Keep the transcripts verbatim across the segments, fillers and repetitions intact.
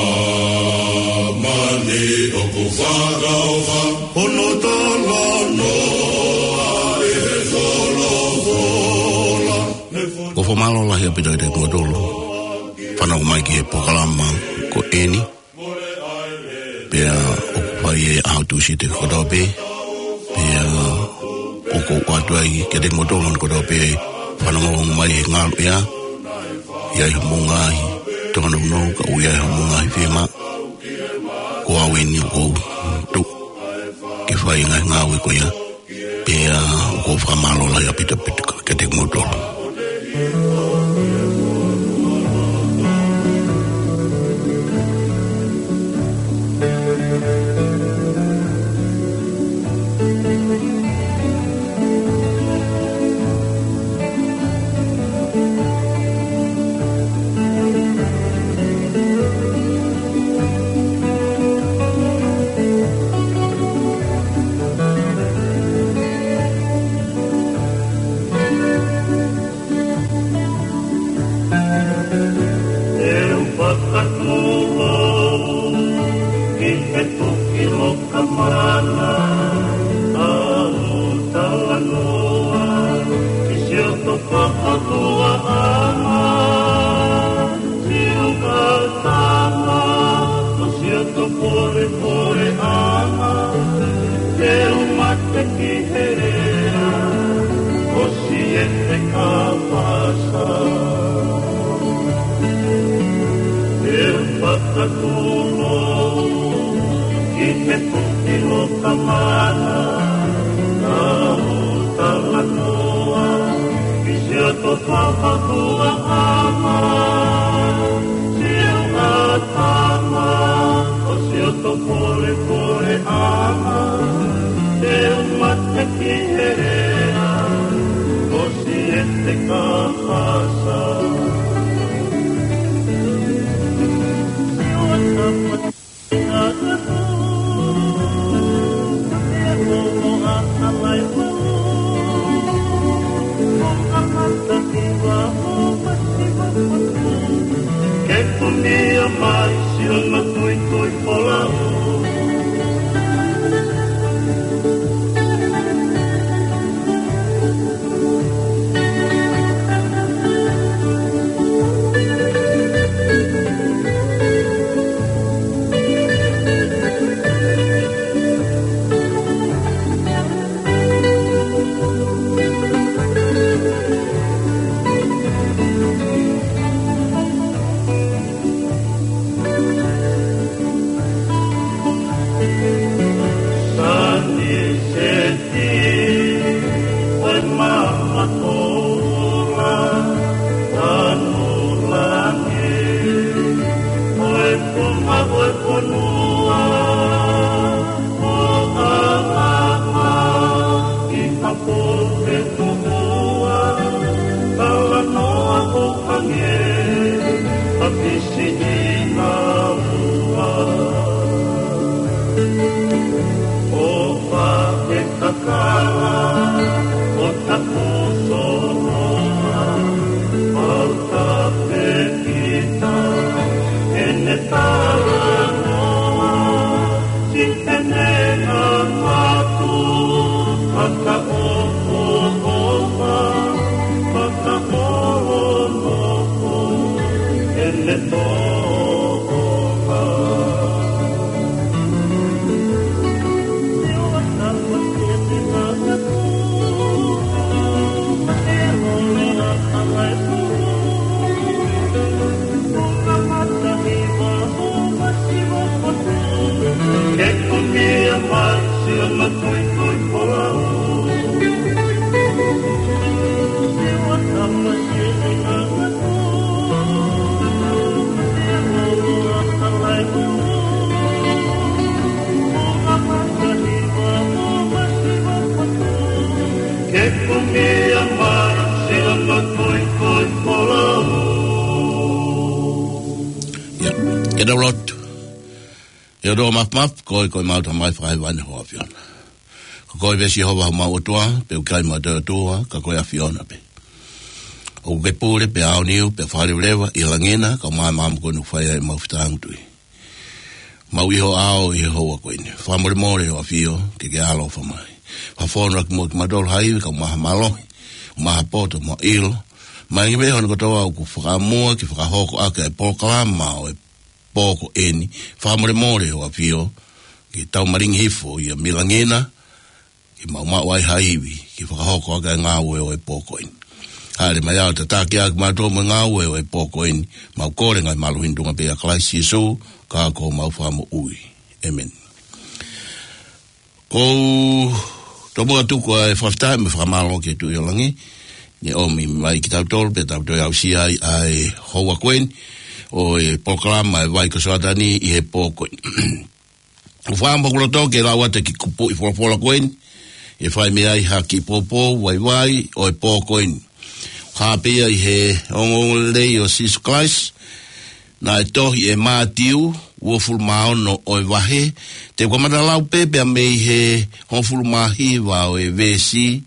Māmani ʻoku fakaʻofa hono talanoa ʻe he folofola. Ko e fakamālō lahi ʻaupito kiate kimoutolu fanongo mai ki he polokalama ko eni. Pea ʻoku fai ʻe he ʻaho Tūsite kotoa pē. Pea ʻoku ou ʻoatu ai kiate kimoutolu kotoa pē fanongo mai he ngalu ia. ʻI ai haʻamou ngaahi tōnounou, ka ʻoku ʻi ai haʻamou ngaahi fiemaʻu. Ko au eni ʻoku ou tuʻu ke fai e ngaahi ngāue ko ia. Pea ʻoku ou fakamālō lahi ʻaupito kiate kimoutolu. ʻE u fakatū ki he toki lokamana, ʻa u talanoa ki siʻoto fakaʻutoʻanga, siʻoto tama, mo siʻoto polepole ʻanga, ʻe u mate ki he lea ʻo Siete Kapasa. ʻE u fakatū ki he toki lokamana, ʻa u talanoa ki siʻoto fakaʻutoʻanga, siʻoto tama, mo siʻoto polepole ʻanga, ʻe u mate ki he lea ʻo Siete Kapasa. Ke kunia mai siʻono tuitui folau. Sani se Ko e mama koula, tanu langi, ko e konga, ko e fonua, ko ʻAlama, ʻi ha pō ʻe tō ua, talanoa ʻo hangē ha pisi ʻi ha ua. ʻO fake kakala ʻo taku soloa, mau tape kita ʻene talanoa, si ʻene ngamatu, fakaʻofoʻofa, fakaʻolonofo ʻene tōʻonga. Ke kunia mai siʻono tuitui folau. Ke kunia mai siʻono tuitui folau. ʻIo, ke tau lotu. ʻE ʻOtua Māfimafi, ko koe ko homau Tamai fakahēvani, ʻAfiona. Ko koe pē Sihova homau ʻOtua, pea ʻoku ʻikai ha toe ʻOtua ka ko e ʻAfiona pē. ʻOku ke pule pea aoniu pea fakaleveleva ʻi langi na, kae ʻumaʻā e maama ko eni ʻoku fai ai ʻemau fetāngutuʻi. Mau ʻi ho ʻao ʻi he houa ko eni. Fakamolemole ʻo ʻafio, ke ke ʻaloʻofa mai. Fakafonu ʻaki muʻa kimautolu ha ivi, kae ʻumaʻā ha mālohi, ʻumaʻā ha poto mo e ʻilo. Mai ki he meʻa hono kotoa ʻoku fakamua ke fakahoko ʻaki e polokalama ʻo e pō ko eni. Fakamolemole ʻo ʻafio, ke tau malingi hifo ia mei langi na, ke mau maʻu ai ha ivi ke fakahoko ʻaki e ngāue ʻo e pō ko eni. Hāʻele mai ʻo tataki ʻaki kimautolu mo e ngāue ʻo e pō ko eni, mau kole ngaahi mālohi ni ʻi he tuʻunga pē ʻia Kalaisi Sīsū, ko homau Fakamoʻui. ʻĒmeni. Ko e tomuʻa tuku ʻa e fakafetaʻi mo e fakamālō ki he Tuʻi ʻo Langi, ne ʻomi mai kiate kitautolu, pea tau toe aʻusia ai ʻa e houa ko eni ʻo e polokalama ʻa e Vai ko Soatani ʻi he pō ko eni. ʻOku ou fakaʻamu ʻoku loto ke lau atu e kiʻi kupuʻi folofola ko eni, ʻe fai mei ai ha kiʻi poupou vaivai ʻo e pō ko eni. Hā pē ia ʻi he ongoongolelei ʻo Sīsū Kalaisi, naʻe tohi ʻe Mātiu, uofulu mā ono ʻo e vahe, te u kamata lau pē pea mei he hongofulu mā hiva ʻo e veesi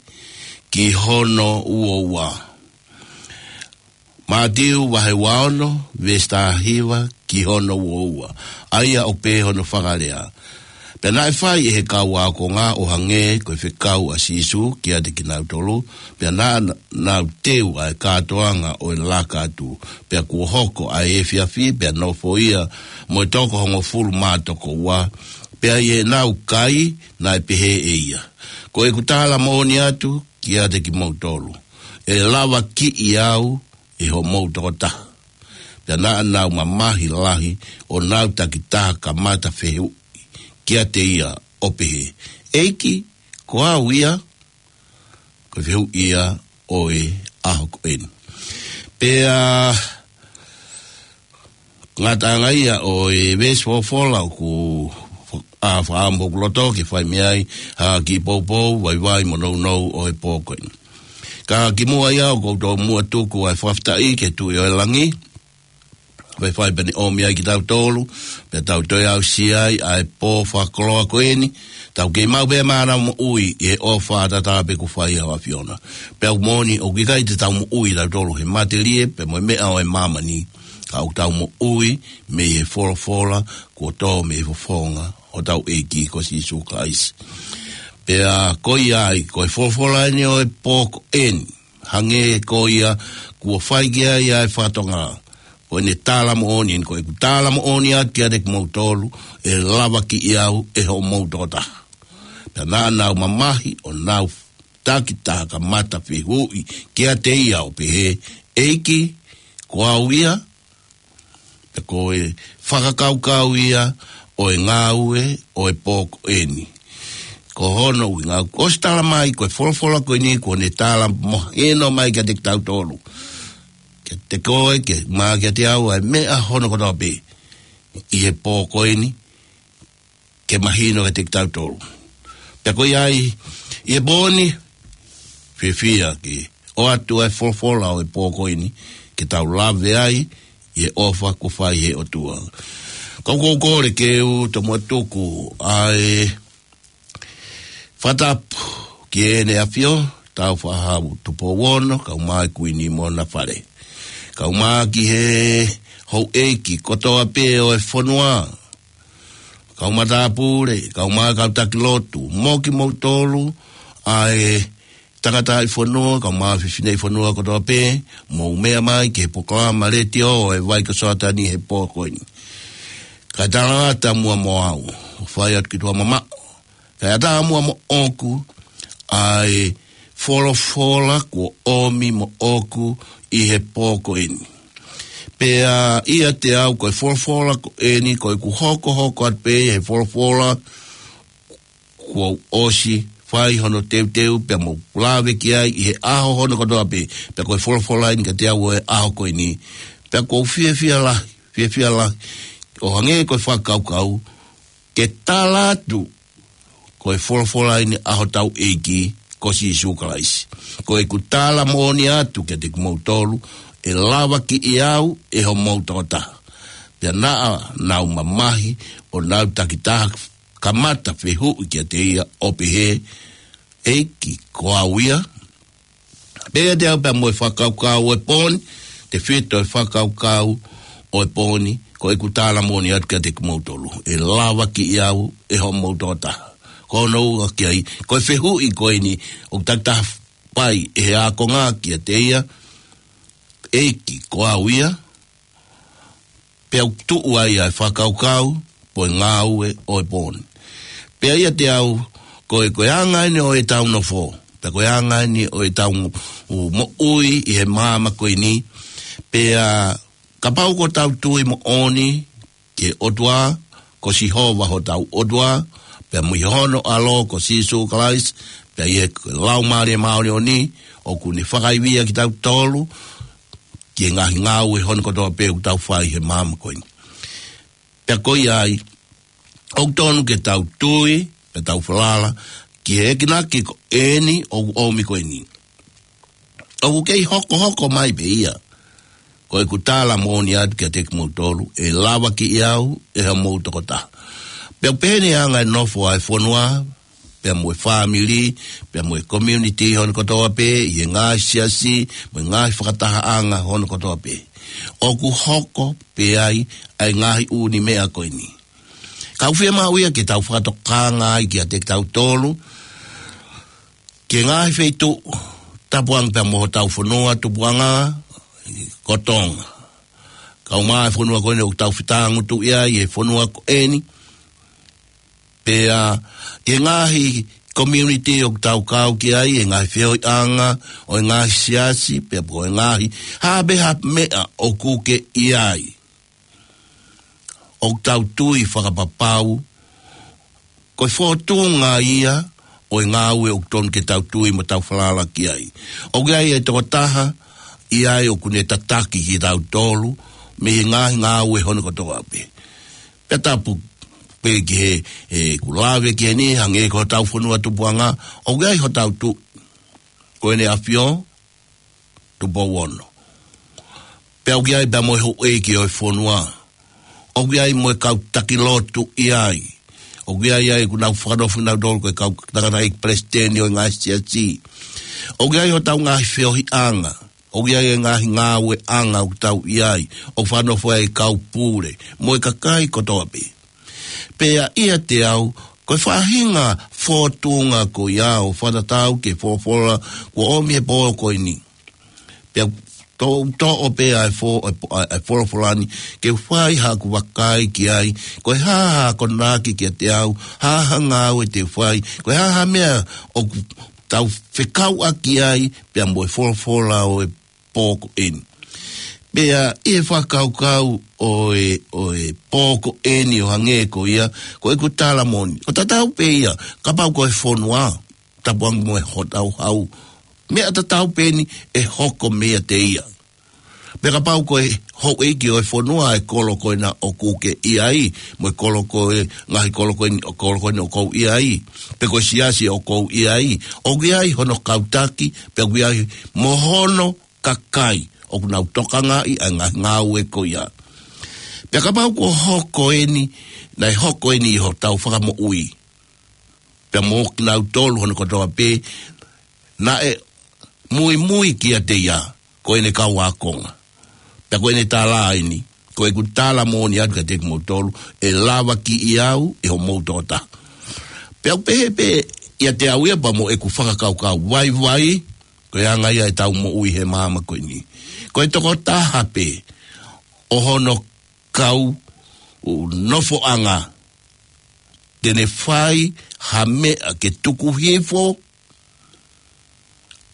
ki hono uo ua. Mātiu vahe ua ono, veesi taha hiva ki hono uo ua. ʻA ia ʻoku pehē hono fakalea: Pea naʻe fai ʻe he kau ākonga ʻo hangē ko e fekau ʻa Sīsū kiate kinautolu, pea naʻa nau teu ʻa e kātoanga ʻo e laka atu. Pea kuo hoko ʻa e efiafi, pea nofo ia mo e toko hongofulu mā toko ua, pea ʻi heʻenau kai naʻe pehē ʻe ia: Ko ʻeku tala moʻoni atu kiate kimoutolu, ʻe lavakiʻi au ʻe hoʻomou tokotaha. Pea naʻa nau mamahi lahi ʻo nau takitaha kamata fehuʻi kiate ia ʻo pehē: ʻEiki, ko au ia? Ko e fehuʻi ia ʻo e ʻaho ko eni. Pea ngataʻanga ia ʻo e veesi folofola ʻoku, ʻa, fakaʻamu ʻoku loto ke fai mei ai ha kiʻi poupou vaivai mo nounou ʻo e pō ko eni. Ka kimuʻa ia ʻoku ou tomuʻa tuku ʻa e fakafetaʻi ki he Tuʻi ʻo Langi, ʻoku fai pē ʻene ʻomi ai kitautolu, pea tau toe aʻusia ai ʻa e pō fakakoloa ko eni, tau kei maʻu pē maʻu moʻui ʻi he ʻofa ʻataʻatā pē kuo fai ʻe ho ʻAfiona. Pea ʻoku moʻoni ʻoku ʻikai te tau moʻui tautolu he matelie pea mo e meʻa ʻo e māmani, ka ʻoku tau moʻui mei he folofola kuo tō mei he fofonga ʻo hotau ʻEiki ko Sīsū Kalaisi. Pea ko ia ai, ko e folofola eni ʻo e pō ko eni, hangē ko ia kuo fai ki ai ʻa e fatongia, ko ʻene tala moʻoni eni: Ko ʻeku tala moʻoni atu kiate kimoutolu, ʻe lavakiʻi au ʻe hoʻomou tokotaha. Pea naʻa nau mamahi ʻo nau takitaha kamata fehuʻi kiate ia ʻo pehē: ʻEiki, ko au ia? Pea ko e fakakaukau ia ʻo e ngāue ʻo e pō ko eni. Ko hono ʻuhinga, kuo ʻosi tala mai, ko e folofola ko eni kuo ne tala mahino mai kiate kitautolu, kiate koe, ke, mo kiate au, ʻa e meʻa hono kotoa pē ʻi he pō ko eni, ke mahino kiate kitautolu. Pea ko ia ai, ʻi he pō ni, fiefia ke ʻoatu ʻa e folofola ʻo e pō ko eni, ke tau lave ai ʻi he ʻofa kuo fai ʻe he ʻOtua. Ka ʻoku ou kole ke u tomuʻa tuku ʻa e fakatapu ki Heʻene ʻAfio, Tāufaʻāhau Tupou Ono, kae ʻumaʻā e Kuini mo hona fale, kae ʻumaʻā ki he houʻeiki kotoa pē ʻo e fonua, kau matāpule, kae ʻumaʻā e kau taki lotu, mo kimoutolu ʻa e tangataʻi fonua, kae ʻumaʻā e fefineʻi fonua kotoa pē, mou meʻa mai ki he polokalama letiō ʻo e Vai ko Soatani he pō ko eni. Kae talangata muʻa moʻoku, ʻo fai atu ki tuʻa mamaʻo, kae ʻatā muʻa moʻoku ʻa e folofola kuo ʻomi moʻoku ʻi he pō ko eni. Pea ʻiate au, ko e folofola ko eni, ko ʻeku hokohoko atu pē he folofola kuo u ʻosi fai hono teuteu pea mo lave ki ai ʻi he ʻaho hono kotoa pē. Pea ko e folofola eni kiate au ʻo e ʻaho ko eni. Pea ʻoku ou fiefia lahi, fiefia lahi, ʻo hangē ko e fakakaukau, ke tala atu, ko e folofola eni ʻa hotau ʻEiki ko Sīsū Kalaisi: Ko ʻeku tala moʻoni atu kiate kimoutolu, ʻe lavakiʻi au ʻe hoʻomou tokotaha. Pea naʻa nau mamahi ʻo nau takitaha kamata fehuʻi kiate ia ʻo pehē: ʻEiki, ko au ia? Pea ʻiate au pea mo e fakakaukau ʻo e pō ni, tefito e fakakaukau ʻo e pō ni, ko ʻeku tala moʻoni atu kiate kimoutolu, ʻe lavakiʻi au ʻe hoʻomou tokotaha. Ko hono ua ki ai, ko e fehuʻi ko eni ʻoku takitaha fai ʻe he ākonga kiate ia, ʻEiki, ko au ia? Pea ʻoku tuʻu ai ʻa e fakakaukau, pe ko e ngāue ʻo e pō ni. Pea ʻiate au, ko e, ko e anga eni ʻo ʻetau nofo, pea ko e anga eni ʻo ʻetau moʻui ʻi he māmani ko eni, pea kapau ʻoku tau tui moʻoni ki he ʻOtua, ko Sihova hotau ʻOtua, pea mo hono ʻAlo ko Sīsū Kalaisi, pea ʻi he Laumālie Māʻoniʻoni, ʻoku ne fakaivia kitautolu, ki he ngaahi ngāue hono kotoa pē ʻoku tau fai he māmani ko eni. Pea ko ia ai, ʻoku tonu ke tau tui, pea tau falala, ki he enginaki ko eni ʻoku ʻomi ko eni. ʻOku kei hokohoko mai pē ia. Ko ʻeku tala moʻoni atu kiate kimoutolu, ʻe lavakiʻi au ʻe hoʻomou tokotaha. Pea ʻoku pehē ni ʻa e anga e nofo ʻa e fonua, pea mo e fāmili, pea mo e community hono kotoa pē, ʻi he ngaahi siasi, mo e ngaahi fakatahaʻanga hono kotoa pē. ʻOku hoko pē ai ʻa e ngaahi ʻū meʻa ko eni. Ka ʻoku fiemaʻu ia ke tau fakatokanga ai kiate kitautolu, ki he ngaahi feituʻu, tapu ange pea mo hotau fonua tupuʻanga, ko Tonga. Kau mai e fonua ko eni ʻoku tau fetangutuʻi ai he fonua ko eni. Pea, ʻi he ngaahi community ʻoku tau kau ki ai, ʻi he ngaahi feohiʻanga ʻo e ngaahi siasi, pea mo e ngaahi, ha pē ha meʻa ʻoku ke ʻi ai, ʻoku tau tui fakapapau, ko e fōtunga ia ʻo e ngāue ʻoku tonu ke tau tui mo tau falala ki ai. ʻOku ʻi ai e tokotaha ʻi ai ʻoku ne tataki kitautolu, mei he ngaahi ngāue hono kotoa pē. Pea tapu pē ki he, ʻeku lave ki heni, hangē ko hotau fonua tupuʻanga, ʻoku ʻi ai hotau tuʻi, ko ʻEne ʻAfio, Tupou Ono. Pea ʻoku ʻi ai pea mo e houʻeiki ʻo e fonua. ʻOku ʻi ai mo e kau taki lotu ʻi ai. ʻOku ʻi ai ʻa ē ʻoku nau fakanofo kinautolu ko e kau tangataʻeiki palesiteni ʻo e ngaahi siasi. ʻOku ʻi ai hotau ngaahi feohiʻanga. ʻOku ʻi ai e ngaahi ngāueʻanga ʻoku tau ʻi ai. ʻOku fakanofo ai e kau pule. Mo e kakai kotoa pē. Pea ʻiate au, ko e faʻahinga fōtunga ko ia ʻo fakatatau ki he folofola kuo ʻomi he pō ko eni. Pea to, toʻo pē ʻa e fo, ʻa e, ʻa e folofola ni, ke u fai haʻaku vakai ki ai, ko e hā ha akonaki kiate au, hā ha ngāue te u fai, ko e hā ha meʻa ʻoku tau fekauʻaki ai, pea mo e folofola ʻo e pō ko eni. Pea ʻi he fakakaukau ʻo e, ʻo e pō ko eni ʻo hangē ko ia, ko ʻeku tala moʻoni. ʻOku tatau pē ia, kapau ko e fonua, tapu ange mo e hotau hau. Meʻa tatau pē eni ʻe hoko meiate ia. Pea kapau ko e houʻeiki ʻo e fonua ʻa e kolo ko ena ʻoku ke ʻi ai, mo e kolo ko e, ngaahi kolo ko eni, ʻo kolo ko eni ʻoku ou ʻi ai, pe ko e siasi ʻoku ou ʻi ai, ʻoku ʻi ai hono kau taki, pea ʻoku ʻi ai mo hono kakai ʻoku nau tokangaʻi ʻa e ngaahi ngāue ko ia. Pea kapau kuo hoko eni, naʻe hoko eni ʻi hotau fakamoʻui, pea mo kinautolu hono kotoa pē, naʻe muimui kiate ia, ko ʻene kau ākonga. Pea ko ʻene tala eni, ko ʻeku tala moʻoni atu kiate kimoutolu, ʻe lavakiʻi au ʻe hoʻomou tokotaha. Pea ʻoku pehē pē ʻiate au ia pea mo ʻeku fakakaukau vaivai, ko e anga ia ʻetau moʻui he māmani ko eni. Ko e tokotaha pē ʻo hono kau nofoʻanga, te ne fai ha meʻa ke tuku hifo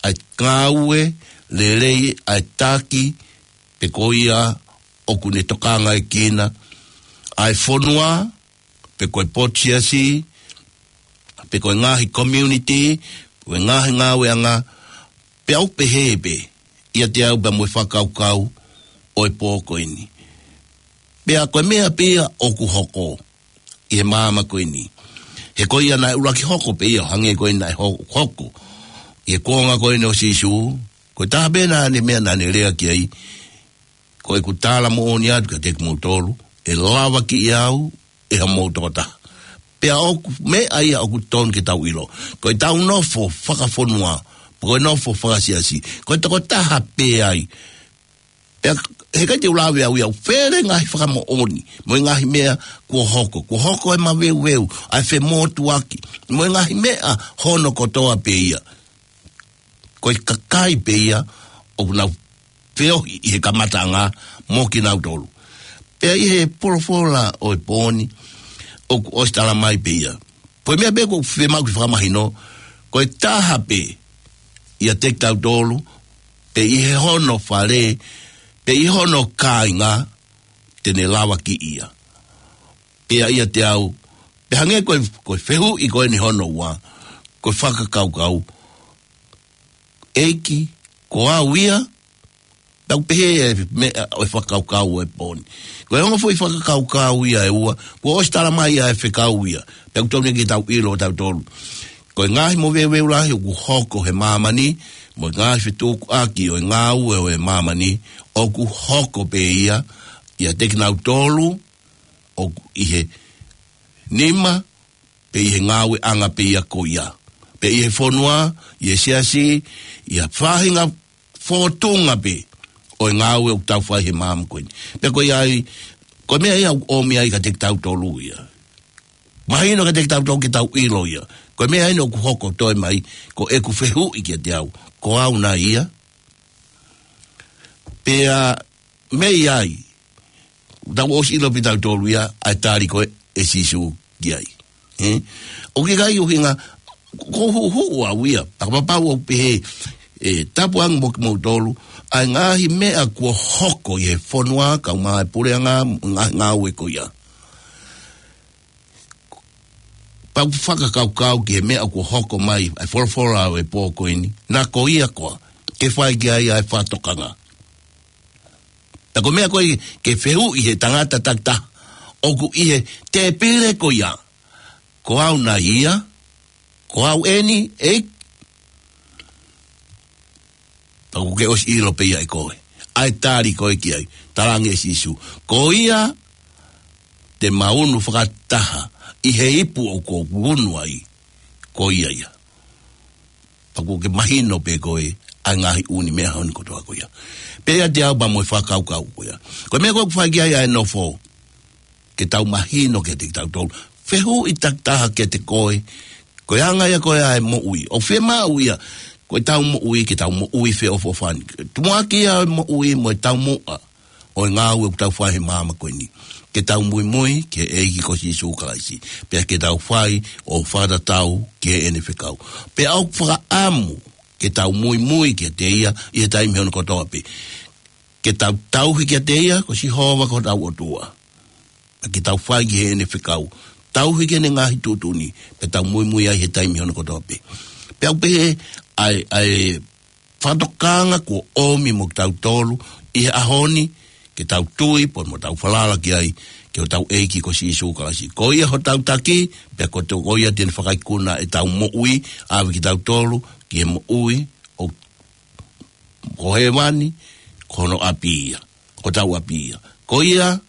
ʻa e ngāue lelei ʻa e taki, pe ko ia ʻoku ne tokangaʻi kinaua ʻa e fonua, pe ko e potu siasi, pe ko e ngaahi community, pe ko e ngaahi ngāueʻanga, pea ʻoku pehē pē ʻiate au pea mo e fakakaukau ʻo e pō ko eni. Pea ko e meʻa pē ia ʻoku hoko ʻi he māmani ko eni. He ko ia naʻe ʻuluaki hoko pē ia, hangē ko ia naʻe ho-, hoko ʻi he kuonga ko eni ʻo Sīsū, ko e taha pē naʻa ne meʻa naʻa ne lea ki ai, ko ʻeku tala moʻoni atu kiate kimoutolu, ʻe lavakiʻi au ʻe hoʻomou tokotaha. Pea ʻoku meʻa ia ʻoku tonu ke tau ʻilo. Ko ʻetau nofo fakafonua, Ko e nofo fakasiasi. Ko e tokotaha pē ai. Pea, heʻikai te u lave au ia ʻo fele ngaahi fakamoʻoni. Mo e ngaahi meʻa kuo hoko. Kuo hoko e maveuveu. ʻA e femotuaki. Mo e ngaahi meʻa hono kotoa pē ia. Ko e kakai pē ia ʻoku nau feohi ʻi he kamataʻanga mo kinautolu. Pea ʻi he folofola ʻo e pō ni, ʻoku ʻosi tala mai pē ia. Ko e meʻa pē ʻoku fiemaʻu ke fakamahino, ko e taha pē ʻiate kitautolu, pe ʻi he hono fale, pe ʻi hono kāinga, te ne lavakiʻi ia. Pea ʻiate au, pea hangē ko e, ko e fehuʻi ko eni hono ua, ko e fakakaukau, ʻEiki, ko au ia, tau pehē e meʻa ʻo e fakakaukau ʻo e pō ni. Ko e ongo foʻi fakakaukau ia ʻe ua, kuo ʻosi tala mai ʻa e fekau ia, pea ʻoku totonu ke tau ʻilo ʻo tautolu. Ko e ngaahi moveuveu lahi ʻoku hoko he māmani, mo e ngaahi fetukuʻaki ʻo e ngāue ʻo e māmani, ʻoku hoko pē ia, ʻiate kinautolu, ʻoku ʻi he nima, pe ʻi he ngāueʻanga pē ia ko ia. Pe ʻi he fonua, ʻi he siasi, ʻi ha faʻahinga fōtunga pē ʻo e ngāue ʻoku tau fai he māmani ko eni. Pea ko ia ai, ko e meʻa ia ʻoku ʻomi ai kiate kitautolu ia. Mahino kiate kitautolu ke tau ʻilo ia. Ko e meʻa eni ʻoku hoko toe mai, ko ʻeku fehuʻi kiate au. Ko au nai ia. Pea mei ai, tau ʻosi ʻilo pē tautolu ia, ʻa e tali ko ē ʻe Sīsū ki ai. Ē? ʻOku ʻikai ʻuhinga, ko e huhuʻu au ia, fakapapau ʻoku pehē, ʻe, tapu ange mo kimoutolu, ʻa e ngaahi meʻa kuo hoko ʻi he fonua, kau mai puleʻanga, ngā-, ngāue ko ia. Pea u fakakaukau ki he meʻa kuo hoko mai, ʻa e folofola ʻo e pō ko eni, naʻa ko ia koā, ke fai ki ai ʻa e fakatokanga. Naʻa ko e meʻa ko ē ke fehuʻi he tangata takitaha, ʻoku ʻi he tēpile ko ia, ko au nai ia, ko au eni, ʻEiki, pea ʻoku ke ʻosi ʻilo pē ia ʻe koe. ʻA e tali ko ē ki ai. Talaange ʻe Sīsū. Ko ia te ma unu fakataha ʻi he ipu ʻoku ou unu ai. Ko ia ia. Pea ʻoku ke mahino pē koe ʻa e ngaahi ʻū meʻa hono kotoa ko ia. Pea ʻiate au pea mo e fakakaukau ko ia. Ko e meʻa ko ē ʻoku fai ki ai ʻa e nofo. Ke tau mahino kiate kitautolu. Fehuʻi takitaha kiate koe. Ko e anga ia ko ē ʻa e moʻui. ʻOku fiemaʻu ia. Ko e tau moʻui, ke tau moʻui feʻofoʻofani. Tumuʻaki ia ʻo e moʻui mo e taumuʻa ʻo e ngāue ʻoku tau fai he māmani ko eni. Ke tau muimui ki he ʻEiki ko Sīsū Kalaisi. Pea ke tau fai ʻo fakatatau ki heʻene fekau. Pea ʻoku fakaʻamu ke tau muimui kiate ia ʻi he taimi hono kotoa pē. Ke tau tauhi kiate ia, ko Sihova ko hotau ʻOtua. Ke tau fai ki heʻene fekau. Tauhi ki heʻene ngaahi tuʻutuʻuni. Pea tau muimui ai he taimi hono kotoa pē. Pea u pehē ʻa e, ʻa e fakatokanga kuo ʻomi mo kitautolu ʻi he ʻaho ni, ke tau tui, pea mo tau falala ki ai, ki hotau ʻEiki ko Sīsū Kalaisi. Ko ia hotau taki, pea ko to-, ko ia te ne fakaikuna ʻetau moʻui, ʻave kitautolu, ki he moʻui, ʻo ko hēvani, ko hono ʻapi ia, ko hotau ʻapi ia. Ko ia,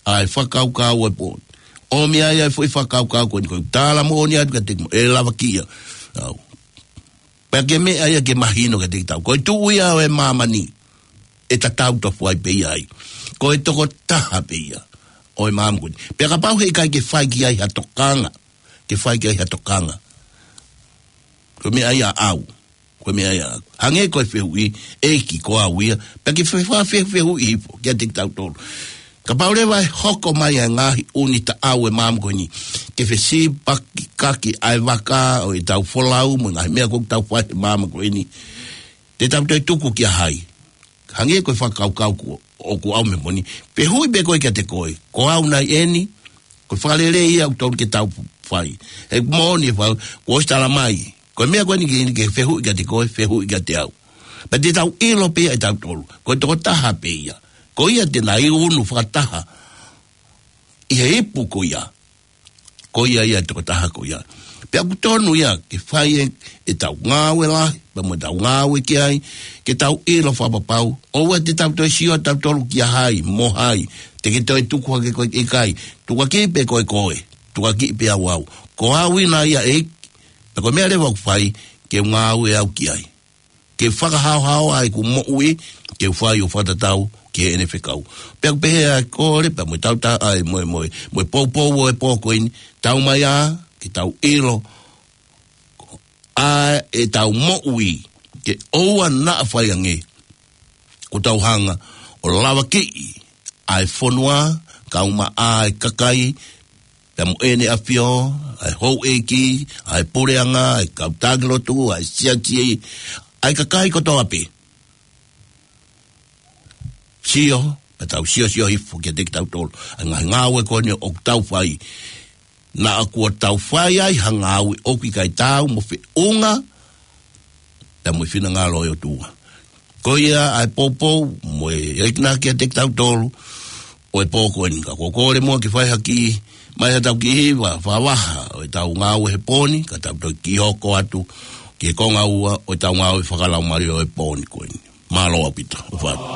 ʻa e fakakaukau ʻo e pō ni. ʻOmi ai ʻa e foʻi fakakaukau ko eni ko e tala moʻoni atu kiate kimoutolu, ʻe lavakiʻi au. Pea ko e meʻa ia ke mahino kiate kitautolu. Ko e tuʻu ia ʻo e māmani, ʻe tatau tofu ai pē ia ai. Ko e tokotaha pē ia ʻo e māmani ko eni. Pea kapau heʻikai ke fai ki ai ha tokanga, ke fai ki ai ha tokanga. Ko e meʻa ia ʻaʻau. Ko e meʻa ia. Hangē ko e fehuʻi, ʻEiki ko au ia. Pea ke fe-, fa-, fe-, fehuʻi hifo, kiate kitautolu. Kapau leva ʻe hoko mai ʻa e ngaahi ʻū taʻau ʻo e māmani ko eni. Ke fesipaki kaki ʻa e vaka ʻo ʻetau folau mo e ngaahi meʻa ʻoku tau fai he māmani ko eni. Te tau toe tuku kia hai. Hangē ko e fakakaukau ko ē ʻoku ʻomai he pō ni. Fehuʻi pē ko ē kiate koe. Ko au nai eni. Ko e fakalelei ia ʻoku totonu ke tau fai. He moʻoni e fai, kuo ʻosi tala mai. Ko e meʻa ko eni ke, ke fehuʻi kiate koe, fehuʻi kiate au. Pea te tau ʻilo pē ia ʻe tautolu. Ko e tokotaha pē ia. Ko ia te ne unu fakataha ʻi he ipu ko ia. Ko ia ia e tokotaha ko ia. Pea ʻoku totonu ia ke fai e, ʻetau ngāue lahi, pea mo ʻetau ngāue ki ai, ke tau ʻilo fakapapau. ʻOua te tau toe sio tautolu kia hai, mo hai. Te ke toe tuku hake koe ʻikai. Tukuakiʻi pē koe koe. Tukuakiʻi pē au au. Ko au ia nai ia ʻEiki. Pea ko e meʻa leva ʻoku fai, ke ngāue au ki ai. ke fakahaohaoa ʻeku moʻui, ke fai ʻo fakatatau ki heʻene fekau. Pea ʻoku pehē ʻa e kole, pea mo e tauta, ʻa e mo e, mo e, mo e poupou ʻo e pō ko eni, tau mai ā, ke tau ʻilo, ʻa ʻetau moʻui, ke ʻoua naʻa fai ange, kuo tau hanga ʻo lavakiʻi ʻa e fonua, kae ʻumaʻā ʻa e kakai, pea mo ʻEne ʻAfio, ʻa e houʻeiki, ʻa e puleʻanga, ʻa e kau taki lotu, ʻa e siasi, ʻa e kakai kotoa pē. Sio, pea tau siosio hifo kiate kitautolu. ʻA e ngaahi ngāue ko eni ʻoku tau fai. Naʻa kuo tau fai ai ha ngāue ʻoku ʻikai taau mo e feʻunga, pea mo e finangalo ʻo e ʻOtua. Ko ia ʻa e poupou, mo e ʻekinaki kiate kitautolu, ʻo e pō ko eni ka ʻoku ou kole muʻa ke fai ha kiʻi, mai ha tau kiʻi hiva, fakavaha, ʻo ʻetau ngāue he pō ni, ka tau toki hoko atu, ki he konga ua, ʻo ʻetau ngāue fakalaumālie ʻo e pō ni ko eni. Mālō ʻaupito, ʻofa atu.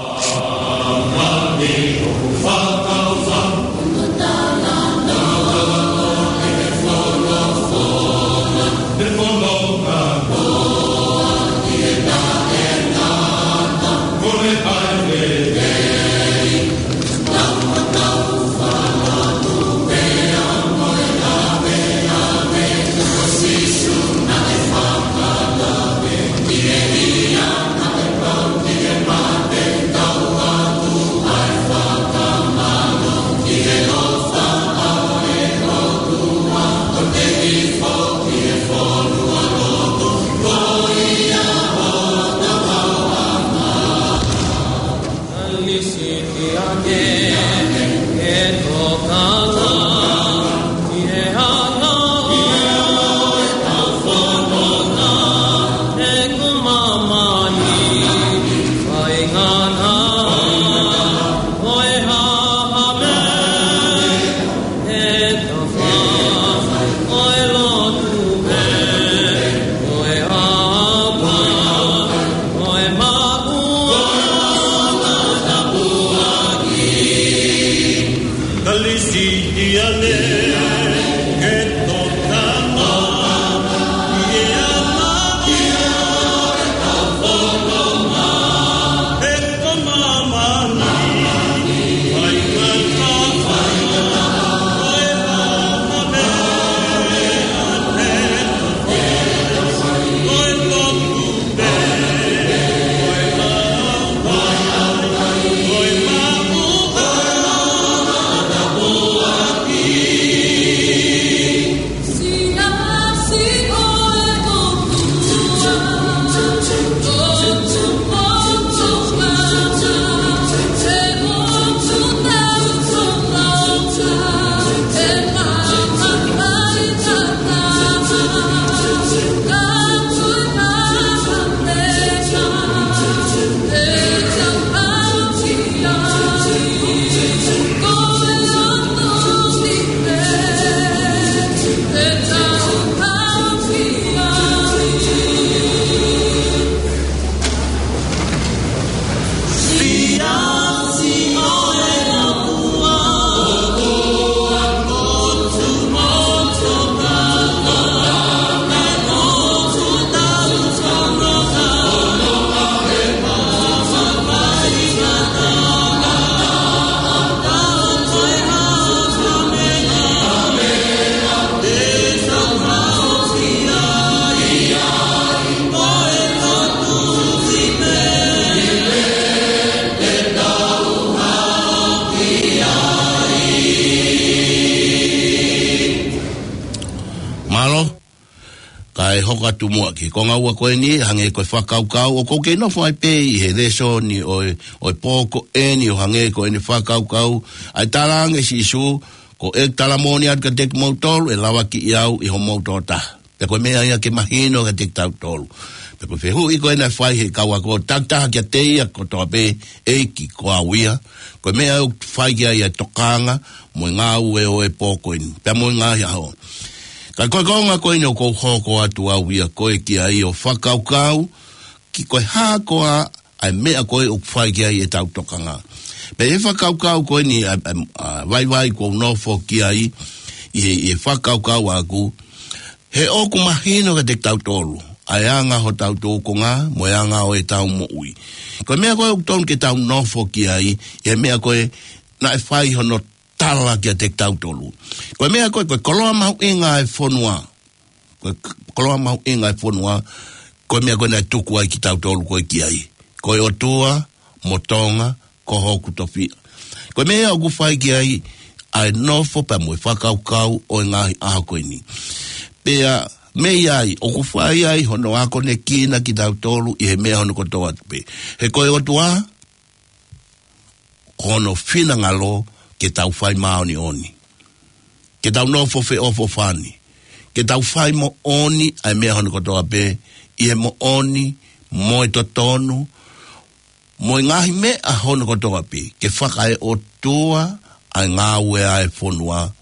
Mālō. Kae hoko atu muʻa ki he konga ua ko eni, hangē ko e fakakaukau, ʻoku ou kei nofo ai pē ʻi he lēsoni ʻo e, ʻo e pō ko eni ʻo hangē ko ʻene fakakaukau, ʻa e talaange ʻe Sīsū, ko e tala moʻoni atu kiate kimoutolu, ʻe lavakiʻi au ʻi homou tokotaha. Pea ko e meʻa ia ke mahino kiate kitautolu. Pea ko e fehuʻi ko ena ʻe fai ʻe he kau ako takitaha kiate ia kotoa pē, ʻEiki ko au ia. Ko e meʻa ʻoku fai ki ai ʻa e tokanga, mo e ngāue ʻo e pō ko eni. Pea mo e ngaahi ʻaho. Ka ko e konga ko eni ʻoku ou hoko atu au ia ko e ki ai ʻo fakakaukau, ki ko e hā koā ʻa e meʻa ko ē ʻoku fai ki ai ʻetau tokanga. Pea ʻi he fakakaukau ko eni ʻa, ʻa, ʻa vaivai ʻoku ou nofo ki ai, ʻi he, ʻi he fakakaukau ʻaʻaku, he ʻoku mahino kiate kitautolu, ʻa e anga hotau tūkunga, mo e anga ʻo ʻetau moʻui. Ko e meʻa ko ē ʻoku tonu ke tau nofo ki ai, ʻi he meʻa ko ē naʻe fai hono tala kiate kitautolu. Ko e meʻa ko ē, ko e koloa mahuʻinga ʻa e fonua. Ko e k-, koloa mahuʻinga ʻa e fonua, ko e meʻa ko ē naʻe tuku ai kitautolu ko ē ki ai. Ko e ʻOtua mo Tonga, ko hoku tofiʻa. Ko e meʻa ʻoku fai ki ai ʻa e nofo pea mo e fakakaukau ʻo e ngaahi ʻaho ko eni. Pea mei ai, ʻoku fai ai hono akonekina kitautolu ʻi he meʻa hono kotoa pē. He ko e ʻOtua, ko hono finangalo ke tau fai māʻoniʻoni. Ke tau nofo feʻofoʻofani. Ke tau fai moʻoni ʻa e meʻa hono kotoa pē, ʻi he moʻoni, mo e totonu, mo e ngaahi meʻa hono kotoa pē, ke fakaeʻotua ʻa e ngāue ʻa e fonua,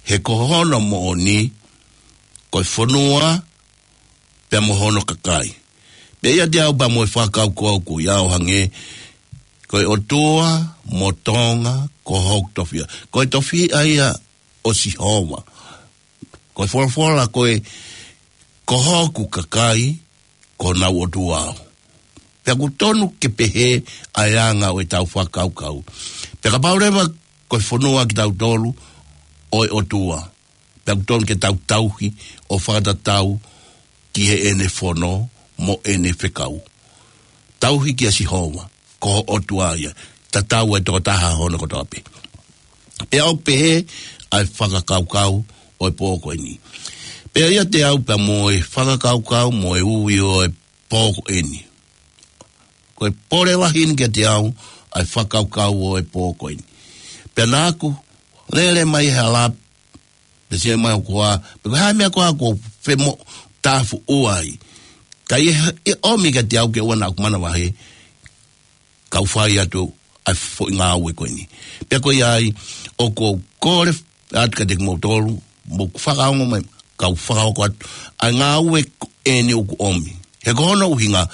he ko hono moʻoni, ko e fonua, pea mo hono kakai. Pea ʻiate au pea mo e fakakaukau ko ia ʻo hangē, ko e ʻOtua mo Tonga, ko hoku tofiʻa. Ko e tofiʻa ia ʻo Sihova. Ko e folofola ko ē, ko hoku kakai, ko honau ʻOtua au. Pea ʻoku tonu ke pehē ʻa e anga ʻo ʻetau fakakaukau. Pea kapau leva ko e fonua kitautolu ʻo e ʻOtua, pea ʻoku tonu ke tau tauhi ʻo fakatatau ki heʻene fono mo ʻene fekau. Tauhi kia Sihova, ko ho ʻOtua ia, tatau e tokotaha hono kotoa pē. Pea ʻoku pehē ʻa e fakakaukau ʻo e pō ko eni. Pea ʻiate au pea mo e fakakaukau mo e ui ʻo e pō ko eni. Ko e pole lahi eni kiate au ʻa e fakakaukau ʻo e pō ko eni. Pea naʻa ku lele mai he hala, pea sio mai ʻo kau, pe ko e hā e meʻa ko ē ʻoku ou femoʻutāfuʻu ʻo ai. Ka ʻi he, ʻi he ʻomi kiate au ke ʻoua naʻa ku manavahē, kau fai atu ʻa e foʻi ngāue ko eni. Pea ko ia ai, ʻoku ou kole atu kiate kimoutolu, mou fakaongo mai, kau fakahoko atu ʻa e ngāue ko eni ʻoku ʻomi. He ko hono ʻuhinga,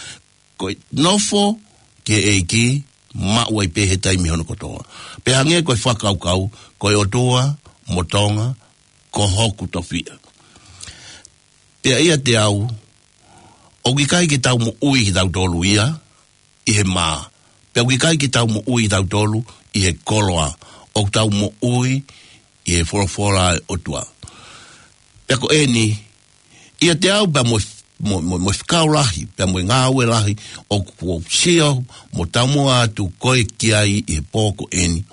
ko e nofo ki he ʻEiki, maʻu ai pē he taimi hono kotoa. Pea hangē ko e fakakaukau, ko e ʻOtua mo Tonga, ko hoku tofiʻa. Pea ʻiate au, ʻoku ʻikai ke tau moʻui kitautolu ia ʻi he mā. Pea ʻoku ʻikai ke tau moʻui kitautolu ʻi he koloa. ʻOku tau moʻui ʻi he folofola ʻa e ʻOtua. Pea ko eni, ʻiate au pea mo, mo, mo, mo e fekau lahi, pea mo e ngāue lahi, ʻoku ou sio mo taumuʻa atu ko ē ki ai ʻi he pō ko eni.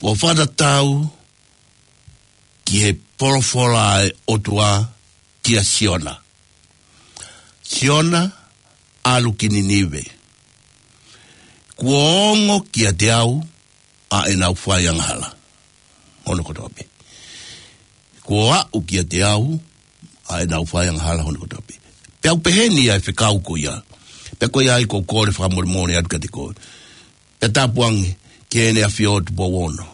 ʻO fakatatau ki he folofola ʻa e ʻOtua kia Siona. Siona, ʻalu ki Ninive. Kuo ongo kiate au ʻa ʻenau fai angahala hono kotoa pē. Kuo aʻu kiate au ʻa ʻenau fai angahala hono kotoa pē. Pea ʻoku pehē ni ʻa e fekau ko ia. Pea ko ia ai ʻoku ou kole fakamolemole atu kiate koe. Pea tāpuange ki heʻene ʻAfio Tupou Ono.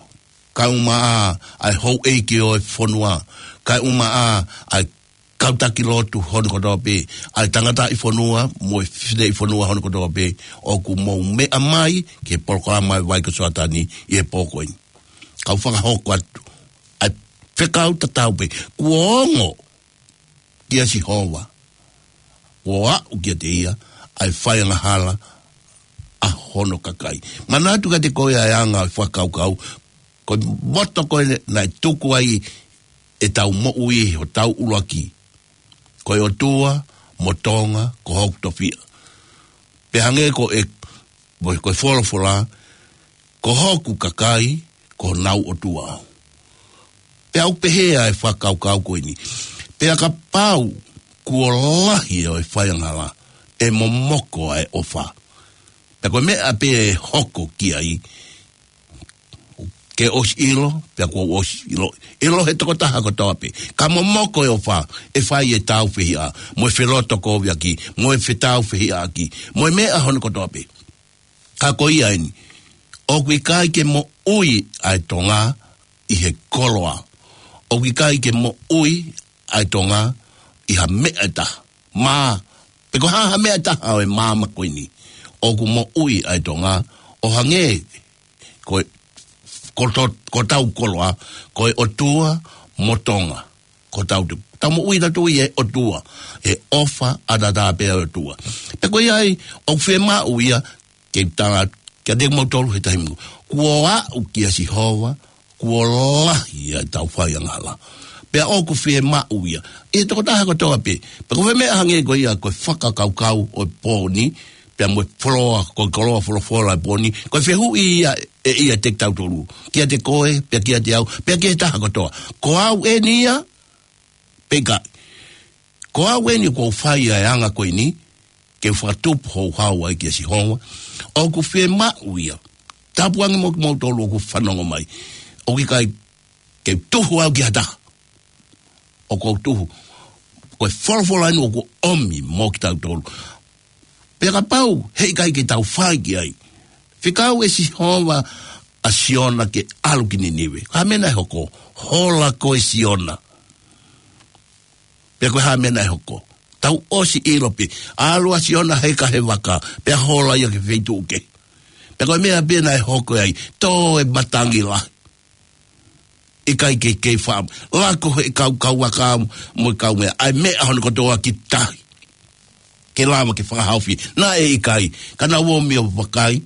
Kae ʻumaʻā ʻa e houʻeiki ʻo e fonua. Kae ʻumaʻā ʻa e kau taki lotu hono kotoa pē. ʻA e tangataʻi fonua, mo e fineʻi fonua hono kotoa pē. ʻOku mou meʻa mai ki he polokalama ʻa e vai ko Soatani ʻi he pō ko eni. Kau fakahoko atu ʻa e fekau tatau pē. Kuo ongo kia Sihova. Kuo aʻu kiate ia ʻa e fai angahala ʻa hono kakai. Manatu kiate koe ʻa e anga ʻo e fakakaukau, ko e moto ko ē naʻe tuku ai ʻetau moʻui ʻi hotau ʻuluaki. Ko e ʻOtua mo Tonga, ko hoku tofiʻa. Pea hangē ko e, ko e folofola, ko hoku kakai, ko honau ʻOtua au. Pea ʻoku pehē ʻa e fakakaukau ko eni. Pea kapau kuo lahi ʻa e fai angahala, ʻe momoko ʻa e ʻofa. Pea ko e meʻa pē ʻe hoko ki ai, ke ʻosi ʻilo, pea kuo ʻosi ʻilo. ʻIlo he tokotaha kotoa pē. Ka momoko e ʻofa, ʻe fai e tāufehiʻa, mo e felotokoviʻaki, mo e fetāufehiʻaki, mo e meʻa hono kotoa pē. Ka ko ia eni, ʻoku ʻikai ke moʻui ʻa e Tonga ʻi he koloa. ʻOku ʻikai ke moʻui ʻa e Tonga ʻi ha meʻa ʻe taha. Mā, pe ko e hā ha meʻa ʻe taha ʻo e māmani ko eni. ʻOku moʻui ʻa e Tonga, ʻo hangē, ko e, ko to-, ko hotau koloa, ko e ʻOtua mo Tonga. ko hotau tupu. Tau moʻui tautolu ʻi he ʻOtua, ʻi he ʻofa ʻataʻatā pē ʻa e ʻOtua. Pea ko ia ai, ʻoku fiemaʻu ia, ke tala, kiate kimoutolu he taimi ni. Kuo aʻu kia Sihova, kuo lahi ʻa ʻetau faiangahala. Pea ʻoku fiemaʻu ia. ʻI he tokotaha kotoa pē. Pea ko e meʻa hangē ko ia, ko e fakakaukau ʻo e pō ni, pea mo e folofola, ko e koloa folofola ʻo e pō ni, ko e fehuʻi ia ʻe ia kiate kitautolu. Kiate koe, pea kiate au, pea ki he taha kotoa. Ko au eni ia, pe ʻikai. Ko au eni kuo u fai ʻa e anga ko eni, ke u fakatupu houhau ai kia Sihova. ʻOku fiemaʻu ia. Tāpuaki mo kimoutolu ʻoku fanongo mai. ʻOku ʻikai ke u tuhu au ki ha taha. ʻOku ou tuhu. Ko e folofola eni ʻoku ʻomi mo kitautolu. Pea kapau, heʻikai ke tau fai ki ai. Fekau ʻe Sihova ʻa Siona ke ʻalu ki Ninive. Ko e hā e meʻa naʻe hoko? Hola koe Siona. Pea ko e hā e meʻa naʻe hoko? Tau ʻosi ʻilo pē. ʻAlu ʻa Siona heka he vaka. Pea hola ia ki he feituʻu kehe. Pea ko e meʻa pē naʻe hoko ai. Tō e matangi lahi. ʻIkai ke kei fam. Lako he kau, kau vaka mo e kau meʻa. ʻAi meʻa hono kotoa ki tahi. Ke lava ke fakahaofi. Naʻe ʻikai. Ka naʻa nau ō mai ʻo vakai.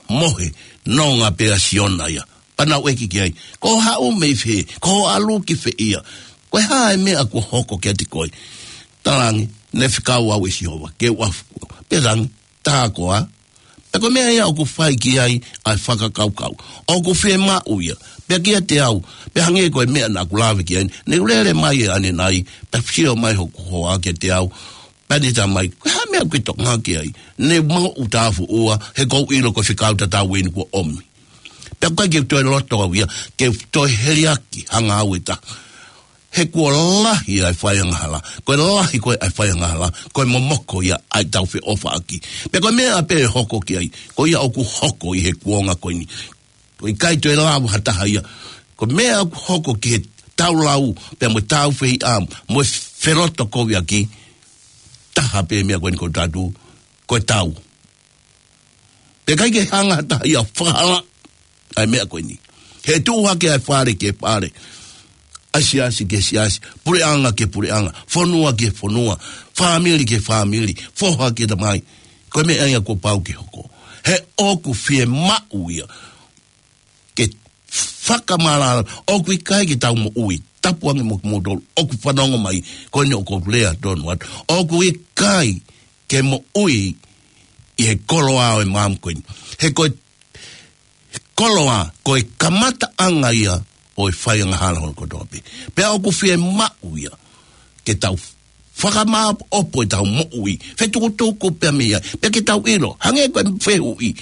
Mohe. Nonga pē ʻa Siona ia. Pea nau ʻeke ki ai. Ko hoʻo haʻu mei fē? Ko hoʻo ʻalu ki fē ia? Ko e hā e meʻa kuo hoko kiate koe? Talaange, naʻe fekau au ʻe Sihova. Ke u ʻalu. Pea talaange, tā koā. Pea ko e meʻa ia ʻoku fai ki ai ʻa e fakakaukau. ʻOku fiemaʻu ia. Pea kiate au. Pea hangē ko e meʻa naʻa ku lave ki ai. Ne u lele mai ʻanenai. Pea sio mai hoku hoa kiate au. Pea ne tala mai. Ko e hā e meʻa ʻoku ke tokanga ki ai? Ne mau u tāfuʻua. He ʻoku ou ʻilo ko e fekau tatau eni kuo ʻomi. Pea ʻoku ʻikai ke u toe loto au ia. Ke u toe heliaki hanga au ʻe taha. He kuo lahi ʻa e faiangahala. Ko e lahi ko ē ʻa e faiangahala. Ko e momoko ia ʻa ʻetau feʻofaʻaki. Pea ko e meʻa pē ʻe hoko ki ai. Ko ia ʻoku hoko ʻi he kuonga ko eni. ʻOku ʻikai toe lava ha taha ia. Ko e meʻa ʻoku hoko ki he tau lau. Pea mo e tau fehiʻa. Mo e felotokoviʻaki. Taha pē meʻa ko eni ko tatu. Ko e tau. Pea ʻikai ke hanga ha taha ia ʻo fakahalaʻi ʻa e meʻa ko eni. He tuʻu hake ʻa e fale ki he fale. ʻA e siasi ki he siasi. Puleʻanga ki he puleʻanga. Fonua ki he fonua. Fāmili ki he fāmili. Foha ki he tamai. Ko e meʻa ia kuo pau ke hoko. He ʻoku fiemaʻu ia. Ke fakamālō, ʻoku ʻikai ke tau moʻui, tāpuaki mo kimoutolu, ʻoku fanongo mai, ko eni ʻoku ou lea tonu atu, ʻoku ʻikai ke moʻui ʻi he koloa ʻo e maama ko eni. He ko e koloa, ko e kamataʻanga ia ʻo e faiangahala hono kotoa pē. Pea ʻoku fiemaʻu ia, ke tau fakamāʻopoʻopo ʻetau moʻui, fetukutuku pea mei ai, pea ke tau ʻilo, hangē ko e fehuʻi,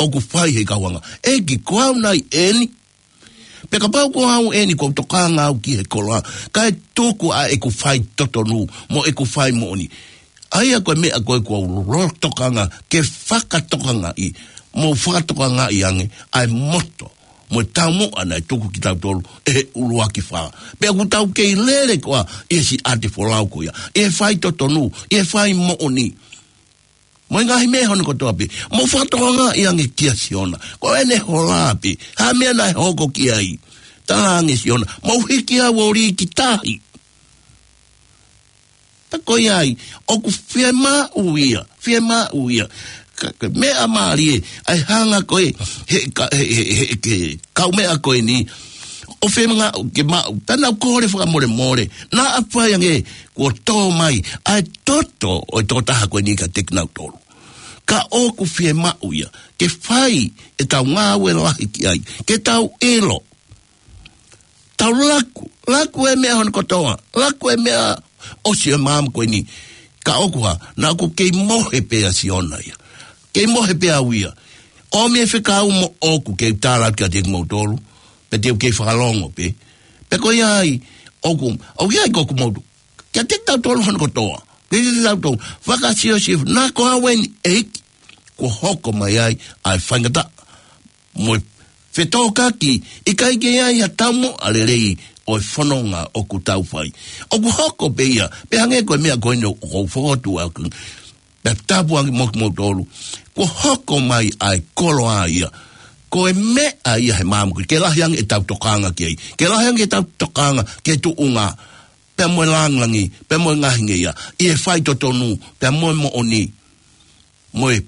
ʻoku fai he kauanga. ʻEiki, ko au nai eni. Pea kapau ko au eni kuo u tokanga au ki he koloa. Kae tuku ʻa ʻeku faitotonu, mo ʻeku fai moʻoni. ʻA ia ko e meʻa ko ē kuo u lolo tokanga, ke fakatokangaʻi, mo fakatokangaʻi ange, ʻa e moto, mo e taumuʻa naʻe tuku kitautolu, ʻe he ʻuluaki fā. Pea ʻoku tau kei lele koā, ʻi he siʻi ʻatefolau ko ia, ʻi he faitotonu, ʻi he fai moʻoni. Mo e ngaahi meʻa hono kotoa pē. Mo fakatokangaʻi ange kia Siona. Ko ʻene hola pē. Hā e meʻa naʻe hoko ki ai. Talaange Siona. Mo hiki au ʻo lī ki tahi. Pea ko ia ai. ʻOku fiemaʻu ia. Fiemaʻu ia. Ka, ka meʻa mālie. ʻAi hanga ko ē. He, ka, he, he, he, ke, kau meʻa ko eni. ʻO fiemaʻu ke maʻu. Pea nau kole fakamolemole. Naʻa fai ange. Kuo tō mai, ʻa e toto ʻo e tokotaha ko eni kiate kinautolu. Ka ʻoku fiemaʻu ia, ke fai ʻetau ngāue lahi ki ai, ke tau ʻilo. Tau laku, laku e meʻa hono kotoa, laku e meʻa ʻosi e maama ko eni. Ka ʻoku hā, naʻa ku kei mohe pē ʻa Siona ia. Kei mohe pē au ia. ʻOmi e fekau mo ʻoku kei tala kiate kimoutolu, pea te u kei fakalongo pē. Pea ko ia ai, ʻoku, ʻoku ia ai ko ʻoku moutu. Kiate kitautolu hono kotoa. Kiate kitautolu. Fakasiosio, naʻa ko au eni ʻEiki. Kuo hoko mai ai, ʻa e faingataʻa. Mo e fetokaki, ʻikai ke ai ha taumuʻa lelei ʻo e fononga ʻoku tau fai. ʻOku hoko pē ia, pea hangē ko e meʻa ko eni ʻoku ou fokotuʻu ʻaki. Pea tāpuaki mo kimoutolu. Kuo hoko mai ʻa e koloa ia. ko e meʻa ia he māmani, ke lahi ange ʻetau tokanga ki ai. Ke lahi ange ʻetau tokanga ki he tuʻunga, pea mo e langilangi, pea mo e ngaahi ngeia, ʻi he faitotonu, pea mo e moʻoni, mo e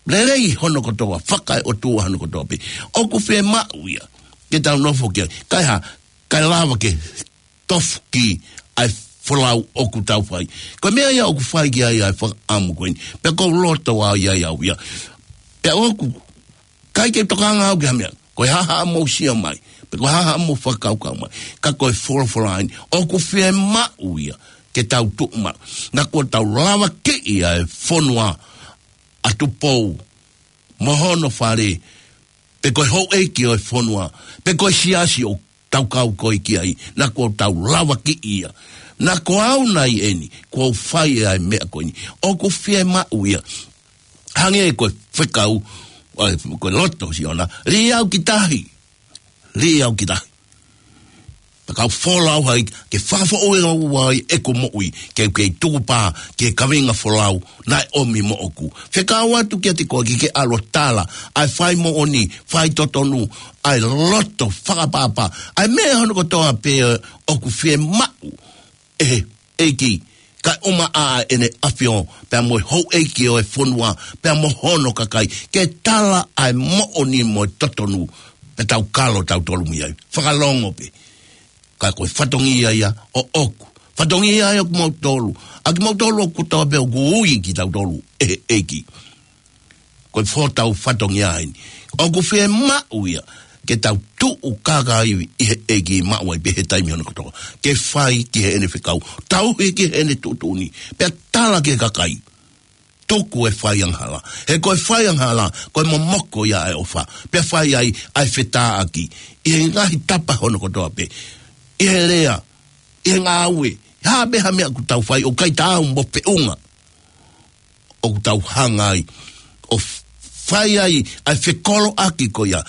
lelei hono kotoa, fakaeʻotua hono kotoa pē. ʻOku fiemaʻu ia ke tau nofo ki ai. Kae hā, kae lava ke tofu ki ai e folau ʻoku tau fai. Ko e meʻa ia ʻoku fai ki ai ʻa e fakaʻamu ko eni. Pea ʻoku ou loto ai au ia. Pea ʻoku ʻikai ke tokanga au ki ha meʻa. Ko e hā haʻamou sio mai, pe ko e hā haʻamou fakakaukau mai. Ka ko e folofola eni. ʻOku fiemaʻu ia ke tau tuʻu maʻu. Naʻa kuo tau lavakiʻi ʻa e fonua ʻa Tupou mo hono fale, pe ko e houʻeiki ʻo e fonua, pe ko e siasi ʻoku tau kau ko ē ki ai, naʻa kuo tau lavakiʻi ia. Naʻa ko au nai eni, kuo u fai ʻa e meʻa ko eni. ʻOku fiemaʻu ia. Hangē ko e fekau, ʻa e, ko e loto ʻo Siona, lī au ki tahi. Lī au ki tahi. Pea ka u folau ai, ke fakafoʻou ʻe au ai ʻeku moʻui, ke u kei tukupā ki he kaveinga folau naʻe ʻomi moʻoku. Fekau atu kiate koe ke ke ʻalu ʻo tala ʻa e fai moʻoni, fai totonu, ʻa e loto fakaʻapaʻapa, ʻa e meʻa hono kotoa pē ʻoku fiemaʻu ʻe he ʻEiki, kae ʻumaʻā ʻEne ʻAfio, pea mo e houʻeiki ʻo e fonua, pea mo hono kakai, ke tala ʻa e moʻoni mo e totonu, pea tau kalo tautolu mei ai. Fakalongo pē. Ka ko e fatongia ia ʻoʻoku. Fatongia ia ʻo kimoutolu. ʻA kimoutolu ʻoku tau pē ʻoku ui kitautolu ʻe he ʻEiki. Ko e fō tau fatongia eni. ʻOku fiemaʻu ia ke tau tuʻu kākaaʻi ʻi he ʻEiki, maʻu ai pē he taimi hono kotoa. Ke fai ki heʻene fekau. Tauhi ki heʻene tuʻutuʻuni. Pea tala ki he kakai. Tuku e fai angahala. He ko e fai angahala, ko e momoko ia ʻa e ʻofa. Pea fai ai ʻa e fetāʻaki ʻi he ngaahi tapa hono kotoa pē. ʻI he lea, ʻi he ngāue, hā pē ha meʻa ʻoku tau fai, ʻoku ʻikai taau mo e feʻunga ʻoku tau hanga ai ʻo f-, fai ai ʻa e fekoloʻaki ko ia.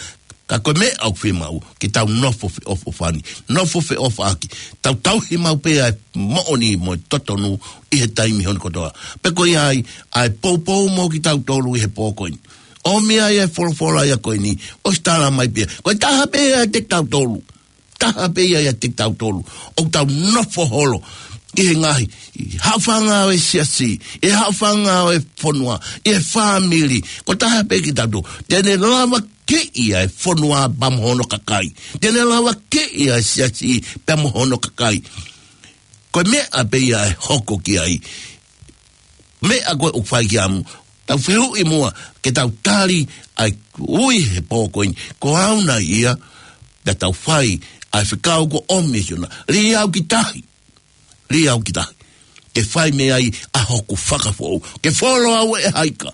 Ka ko e meʻa ʻoku fiemaʻu, ke tau nofo feʻofoʻofani, nofo feʻofaʻaki, tau tauhi maʻu pē ʻa e moʻoni mo e totonu ʻi he taimi hono kotoa. Pea ko ia ai ʻa e poupou mo kitautolu ʻi he pō ko eni. ʻOmi ai ʻa e folofola ia ko eni, ʻosi tala mai pē. Ko e taha pē ʻiate kitautolu. Taha pē ia ʻiate kitautolu. ʻOku tau nofo holo ʻi he ngaahi, ʻi he haʻofanga ʻo e siasi, ʻi he haʻofanga ʻo e fonua, ʻi he fāmili. Ko e taha pē kitautolu. Te ne lavakiʻi ʻa e fonua pea mo hono kakai. Te ne lavakiʻi ʻa e siasi pea mo hono kakai. Ko e meʻa pē ia ʻe hoko ki ai. Meʻa ko ē ʻoku fai ki amu. Tau fehuʻi muʻa, ke tau tali ʻa e ui he pō ko eni. Ko au nai ia, pea tau fai ʻa e fekau kuo ʻomi ʻe Siona. Lī au ki tahi. Lī au ki tahi. Ke fai mei ai ʻa hoku fakafoʻou. Ke folo au ʻe he ika.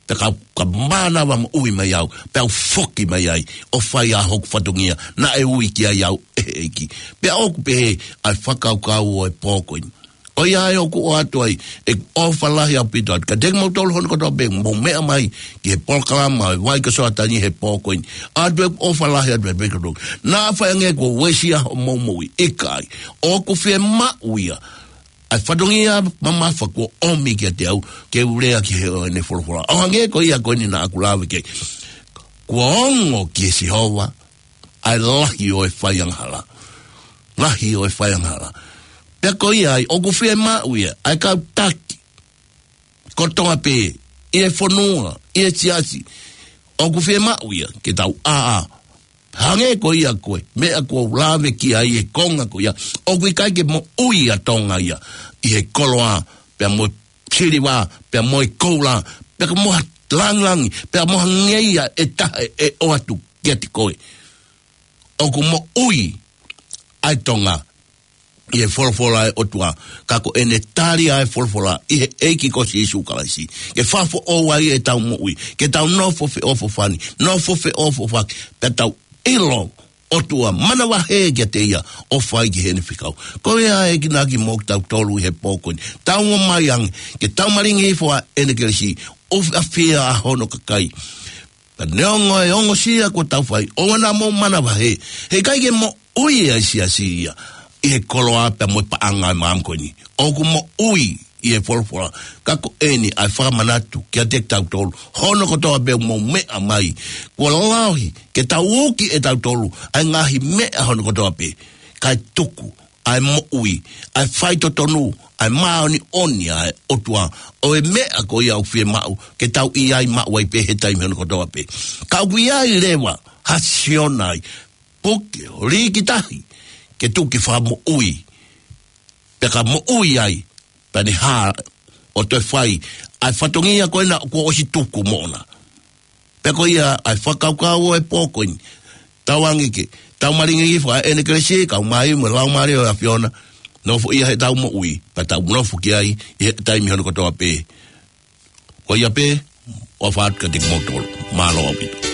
Pea ka, ka mānava moʻui mai au, pea u foki mai ai, ʻo fai ʻa hoku fatongia, naʻe ui ki ai au ʻe he ʻEiki. Pea ʻoku pehē ʻa e fakakaukau ʻo e pō ko eni. ʻOiauē ʻoku ʻoatu ai ʻeku ʻofa lahi ʻaupito atu kiate kimoutolu hono kotoa pē mou meʻa mai ki he polokalama ʻo e Vai ko Soatani he pō ko eni. ʻOatu ʻeku ʻofa lahi atu ʻaupito atu. Naʻa faʻa hangē kuo uesia hoʻomou moʻui, ʻikai. ʻOku fiemaʻu ia ʻa e fatongia mamafa kuo ʻomi kiate au, ke u lea ki he ʻo ʻene folofola. ʻO hangē ko ia ko eni naʻa ku lave ki ai. Kuo ongo kia Sihova ʻa e lahi ʻo e fai angahala. Lahi ʻo e fai angahala. Pea ko ia ai, ʻoku fiemaʻu ia ʻa e kau taki kotoa pē, ʻi he fonua, ʻi he siasi. ʻOku fiemaʻu ia ke tau ʻā, ʻā. Hangē ko ia ko e meʻa kuo u lave ki ai he konga ko ia. ʻOku ʻikai ke moʻui ʻa Tonga ia ʻi he koloa, pea mo e siliva, pea mo e koula, pea mo ha langilangi, pea mo ha ngeia ʻe taha ʻe ʻoatu kiate koe. ʻOku moʻui ʻa e Tonga ʻi he folofola ʻa e ʻOtua, ka ko ʻene tali ʻa e folofola ʻi he ʻEiki ko Sīsū Kalaisi. Ke fakafoʻou ai ʻetau moʻui, ke tau nofo feʻofoʻofani, nofo feʻofoʻofaki, pea tau ʻilo ʻOtua manavahē kiate ia ʻo fai ki heʻene fekau. Ko ia ʻa e enginaki mo kitautolu ʻi he pō ko eni. Tau ō mai ange, ke tau malingi hifo ʻa ʻene kelesi, ʻo ʻafia ʻa hono kakai. Ka neongo e ongosia kuo tau fai, ʻoua naʻa mou manavahē, heʻikai ke moʻui ʻa e siasi ia ʻi he koloa pea mo e paʻanga ʻo e māmani ko eni. ʻOku moʻui ʻi he folofola. Ka ko eni ʻa e fakamanatu kiate kitautolu, hono kotoa pē ʻoku mou meʻa mai, kuo lahi ke tau uki ʻe tautolu ʻa e ngaahi meʻa hono kotoa pē, kae tuku ʻa e moʻui, ʻa e faitotonu, ʻa e māʻoniʻoni ʻa e ʻOtua, ʻo e meʻa ko ia ʻoku fiemaʻu ke tau ʻi ai maʻu ai pē he taimi hono kotoa pē. Ka ʻoku ʻi ai leva ha Siona ʻi puke ʻo lī ki tahi, ke tuku ke fakamoʻui, pea ka moʻui ai, pea ne hā ʻo toe fai ʻa e fatongia ko ena kuo ʻosi tuku moʻona. Pea ko ia ʻa e fakakaukau ʻo e pō ko eni. Tauange ke tau malingi fakaʻenekelesi, kau mai mo e Laumālie ʻo e ʻAfiona, nofoʻia heʻetau moʻui, pea tau nofo ki ai ʻi he taimi hono kotoa pē. Ko ia pē, ʻofa atu kiate kimoutolu. Mālō ʻaupito.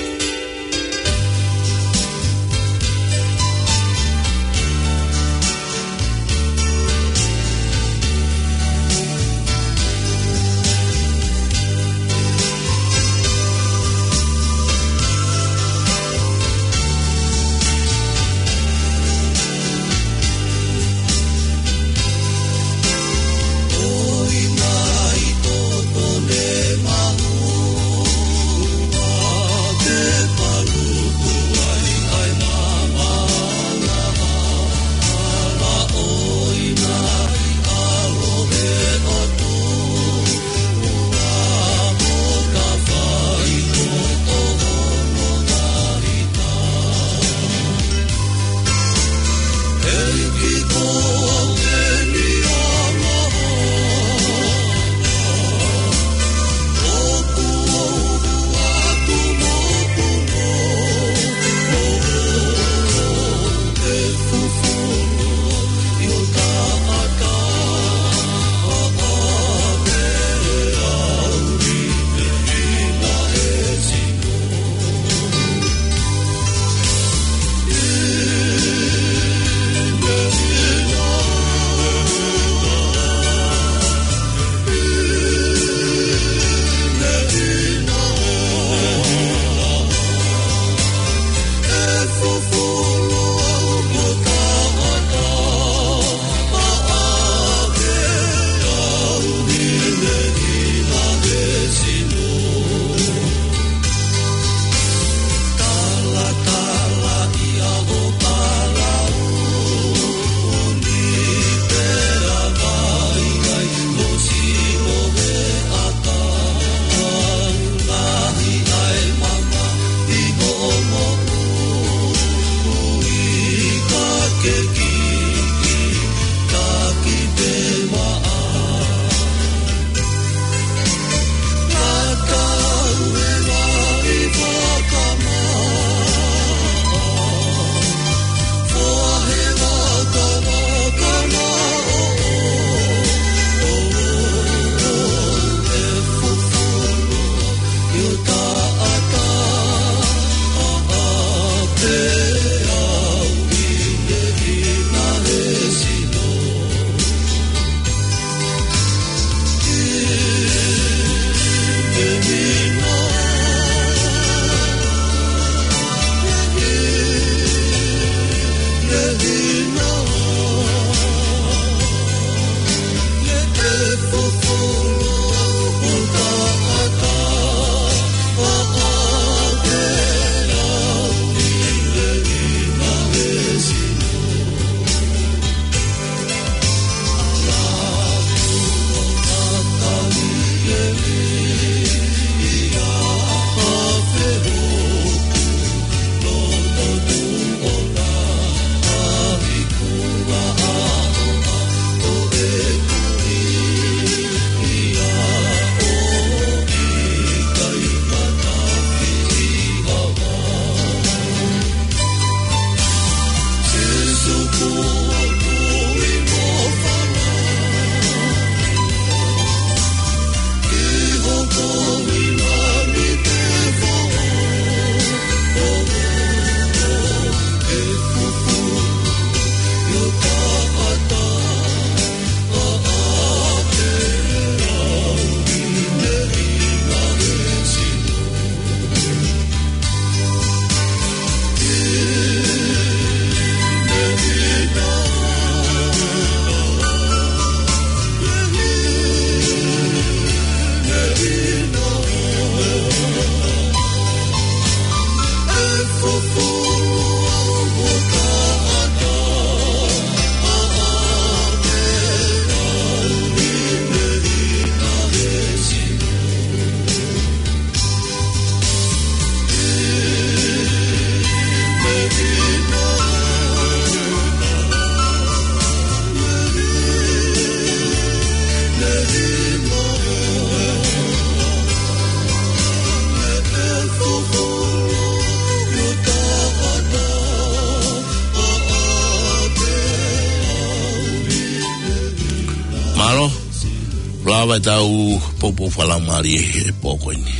Lava ʻetau poupou fakalaumālie he pō ko eni.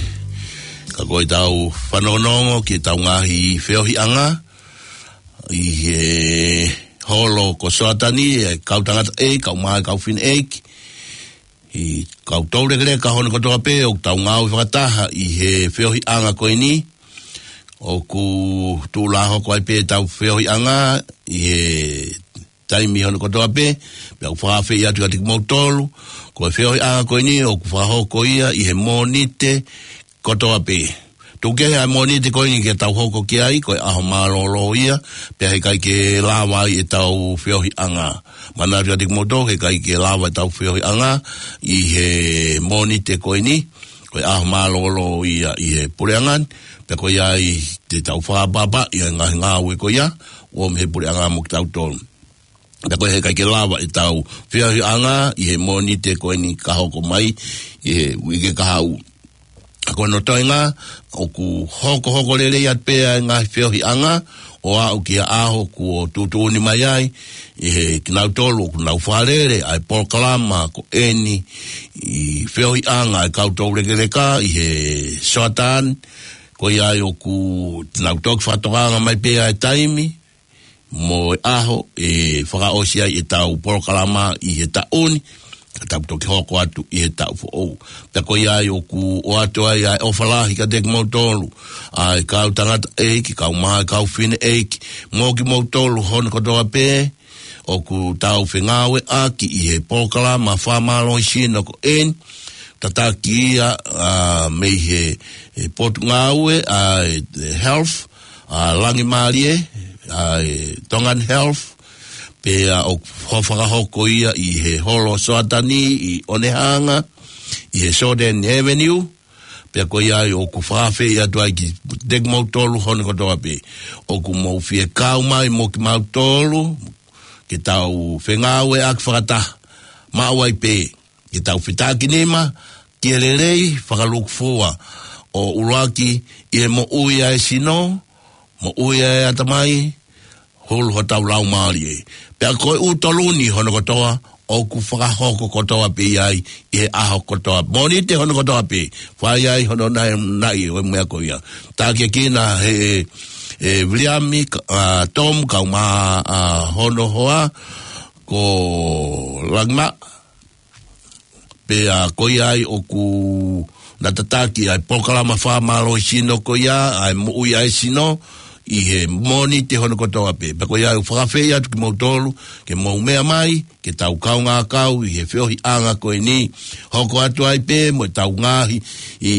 Ka ko ʻetau fanongonongo ki heʻetau ngaahi feohiʻanga ʻi he holo ko Soatani, ʻa e kau tangataʻeiki, kau mā, kau fineʻeiki, ʻa e kau toulekeleka hono kotoa pē ʻoku tau ngāue fakataha ʻi he feohiʻanga ko eni. ʻOku tuʻu lā hoko ai pē ʻetau feohiʻanga ʻi he taimi hono kotoa pē, pea ʻoku fakaafeʻi atu kiate kimoutolu, ko e feohiʻanga ko eni ʻoku fakahoko ia ʻi he Mōnite kotoa pē. Tuku kehe ʻa e Mōnite ko eni ke tau hoko ki ai, ko e ʻaho mālōlō ia, pea heʻikai ke lava ai ʻetau feohiʻanga. Manatu kiate kimoutolu, heʻikai ke lava ʻetau feohiʻanga ʻi he Mōnite ko eni, ko e ʻaho mālōlō ia ʻi he puleʻanga ni, pea ko ia ai te tau fakaʻapaʻapaʻi ʻa e ngaahi ngāue ko ia, ʻoku ʻomi he puleʻanga mo kitautolu. Pea ko e heʻikai ke lava ʻetau feohiʻanga ʻi he Mōnite ko eni ka hoko mai ʻi he uike kahaʻu. Ko hono toenga, ʻoku hokohoko lelei atu pē ʻa e ngaahi feohiʻanga ʻo aʻu ki he ʻaho kuo tuʻutuʻuni mai ai ʻe kinautolu ʻoku nau fakalele ʻa e polokalama ko eni ʻi he feohiʻanga ʻa e kau toulekeleka ʻi he Soatani. Ko ia ai ʻoku nau toki fakatokanga mai pē ʻa e taimi mo e ʻaho ʻe fakaʻosi ai ʻetau polokalama ʻi he taʻu ni, ka tau toki hoko atu ʻi he taʻu foʻou. Pea ko ia ai ʻoku ʻoatu ai ʻa e ʻofa lahi kiate kimoutolu, ʻa e kau tangataʻeiki, kau mā, kau fineʻeiki, mo kimoutolu hono kotoa pē ʻoku tau fengāueʻaki ʻi he polokalama fakamālohisino ko eni, tataki ia, ʻa, mei he, he potungāue, ʻa e, e health, ʻa, Langimālie, ʻa e Tongan Health, pea ʻoku fakahoko ia ʻi he holo Soatani ʻi ʻOnehanga, ʻi he Soden Avenue. Pea ko ia ai ʻoku fakaafeʻi atu ai kiate kimoutolu hono kotoa pē ʻoku mou fie kau mai mo kimautolu, ke tau fengāueʻaki fakataha, maʻu ai pē ke tau fetakinima ki he lelei fakalūkufua ʻo ʻuluaki ʻi he moʻui ʻa e sino, moʻui ʻa e ʻatamai, hulu hotau laumālie. Pea ko e ʻū tolu ni hono kotoa, ʻoku fakahoko kotoa pē ia ai ʻi he ʻaho kotoa. Mōnite hono kotoa pē, fai ai hono naʻinaʻi ʻo e meʻa ko ia. Takiekina he, e Viliami, ka-, ʻa, Tom, kau mā, ʻa, hono hoa, ko Langima, pea ko ia ai ʻoku na tataki ʻa e polokalama fakamālohisino ko ia, ʻa e moʻui ʻa e sino, ʻi he Mōnite hono kotoa pē. Pea ko ia ai ʻoku fakaafeʻi atu kimoutolu, ke mou meʻa mai, ke tau kaungā kau ʻi he feohiʻanga ko eni, hoko atu ai pē mo ʻetau ngaahi ʻi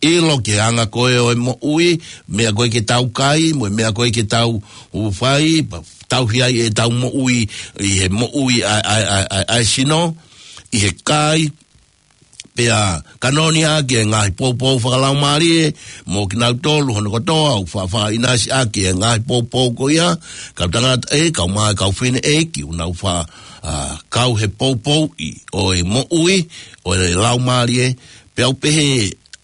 ʻilo ki he anga ko ē ʻo e moʻui, meʻa ko ē ke tau kai, mo e meʻa ko ē ke tau ʻū fai, pea tauhi ai ʻetau moʻui, ʻi he moʻui ʻa, ʻa, ʻa, ʻa, ʻa e sino, ʻi he kai, pea kanoni ʻaki e ngaahi poupou fakalaumālie, mo kinautolu hono kotoa, ʻoku fa-, fakaʻinasi ʻaki e ngaahi poupou ko ia, kau tangataʻeiki, kau mā, kau fineʻeiki, ʻoku nau fa-, ʻa, kau he poupouʻi ʻo e moʻui, ʻo e laumālie, pea ʻoku pehē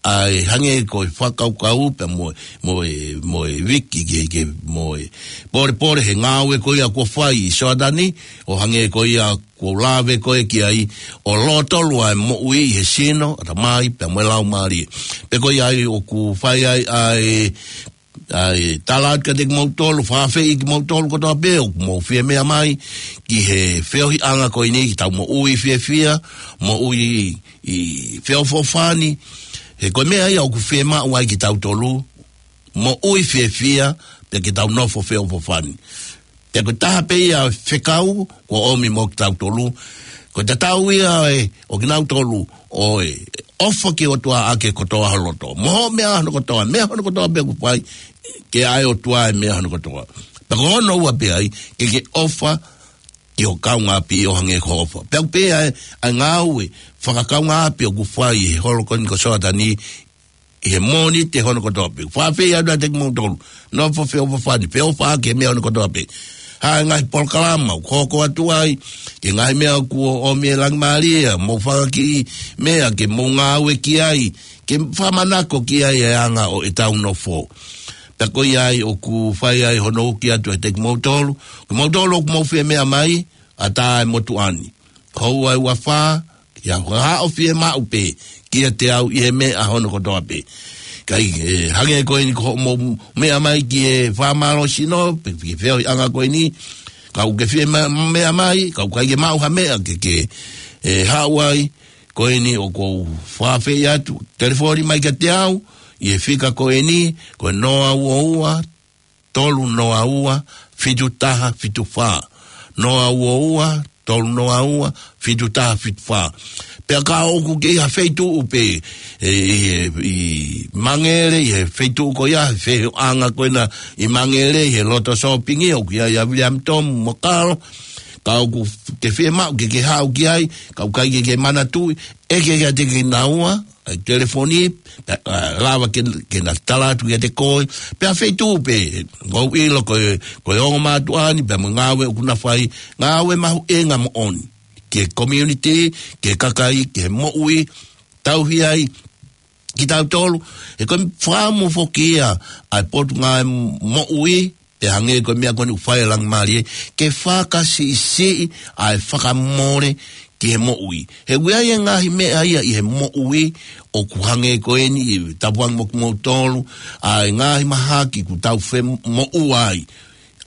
ʻa e hangē ko e fakakaukau pea mo, mo e, mo e viki ke, ke, mo e polepole he ngāue ko ia kuo fai ʻi Soatani, ʻo hangē ko ia kuo lave ko ē ki ai, ʻo lōtolu ʻa e moʻui ʻi he sino, ʻatamai, pea mo e laumālie. Pea ko ia ai ʻoku fai ai ʻa e ʻa e tala atu kiate kimoutolu, fakaafeʻi kimoutolu kotoa pē ʻoku mou fie meʻa mai ki he feohiʻanga ko eni, ke tau moʻui fiefia, moʻui ʻi feʻofoʻofani. He ko e meʻa ia ʻoku fiemaʻu ai kitautolu, moʻui fiefia, pea ke tau nofo feʻofoʻofani. Pea ko e taha pē ia fekau kuo ʻomi mo kitautolu, ko e tatau ia ʻo kinautolu ʻo e ʻofa ki he ʻOtua ʻaki e kotoa ho loto. Mo hoʻo meʻa hono kotoa, meʻa hono kotoa pē ʻoku fai, ke ʻai ʻOtua e meʻa hono kotoa. Pea ko hono ua pē ai, ke ke ʻofa ki ho kaungāʻapi ʻo hangē ko hoʻo ʻofa. Pea ʻoku pehē ai ʻa e ngāue fakakaungāʻapi ʻoku fai ʻi he holo ko eni ko Soatani, ʻi he Mōnite hono kotoa pē. Fakaafeʻi atu kiate kimoutolu, nofo feʻofoʻofani, feʻofaʻaki he meʻa hono kotoa pē. Ha ngaahi polokalama ʻoku hoko atu ai, ki he ngaahi meʻa kuo ʻomi ʻe Langimālie, mou fakakiʻi meʻa ke mou ngāue ki ai, ke fakamanako ki ai e anga ʻo ʻetau nofo. Pea ko ia ai ʻoku fai ai hono uki atu kiate kimoutolu, kimoutolu ʻoku mou fie meʻa mai, ʻatā e motuʻa ni. Houa ʻe uafā, ke ʻIa, ko e haʻo fiemaʻu pē kiate au ʻi he meʻa hono kotoa pē. Kae, ʻe, hangē ko eni ko hoʻomou meʻa mai ki he fakamālohisino, pe ki he feohiʻanga ko eni, ka ʻoku ke fie ma-, meʻa mai, ka ʻoku ʻikai ke maʻu ha meʻa ke, ke, ʻe, haʻu ai, ko eni ʻoku ou fakaafeʻi atu, telefoni mai kiate au, ʻi he fika ko eni, ko e noa ua ua, tolu noa ua, fitu taha fitu fā. Noa ua ua, tolu noa ua, fitu taha fitu fā. Pea ka ʻoku ke ʻi ha feituʻu pē, ʻe, ʻi, ʻi Mangere, ʻi he feituʻu ko ia, he feohiʻanga ko ena ʻi Mangere, ʻi he loto sōpingi, ʻoku ʻi ai ʻa Viliami Tomu mo Kalo, ka ʻoku ke fiemaʻu ke ke haʻu ki ai, ka ʻoku ʻikai ke ke manatuʻi, ʻeke kiate kinaua, ʻa e telefoni, ʻa, ʻa, lava ke, ke na tala atu kiate koe, pea feituʻu pē, ʻoku ou ʻilo ko e, ko e ongo mātuʻa ni, pea mo e ngāue ʻoku na fai, ngāue mahuʻinga moʻoni, ki he community, ki he kakai, ki he moʻui, tauhi ai, kitautolu, he ko e fakamuʻa foki ia, ʻa e Potungāue Moʻui, pea hangē ko e meʻa ko eni ʻoku fai ʻe Langimalie, ke fakasiʻisiʻi ʻa e fakamole ki he moʻui. He ʻoku ʻi ai e ngaahi meʻa ia ʻi he moʻui ʻoku hangē ko eni, tapu ange mo kimoutolu, ʻa e ngaahi mahaki ʻoku tau femoʻua ai.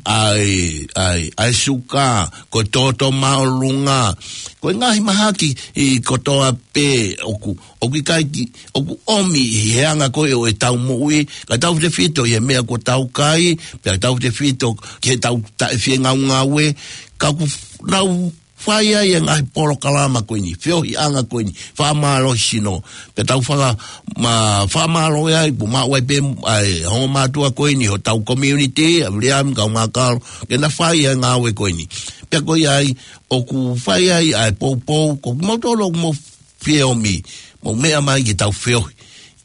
ʻA e, ʻa e, ʻa e suka, ko e toto māʻolunga, ko e ngaahi mahaki ʻi kotoa pē ʻoku, ʻoku ʻikai ke, ʻoku ʻomi ʻi he anga ko ē ʻo ʻetau moʻui, kae tautefito ʻi he meʻa ʻoku tau kai, pea tautefito ki heʻetau taʻefiengaungaue, ka ʻoku f-, nau fai ai e ngaahi polokalama ko eni, feohiʻanga ko eni, fakamālohisino, pea tau faka-, ma-, fakamālō ai, ʻoku maʻu ai pē, ʻa e ongo mātuʻa ko eni, hotau community, ʻa Viliami, kau Mākalo, ke na fai e ngāue ko eni. Pea ko ia ai, ʻoku fai ai ʻa e poupou, ko kimoutolu ʻoku mou fie ʻomi, mou meʻa mai ke tau feohi,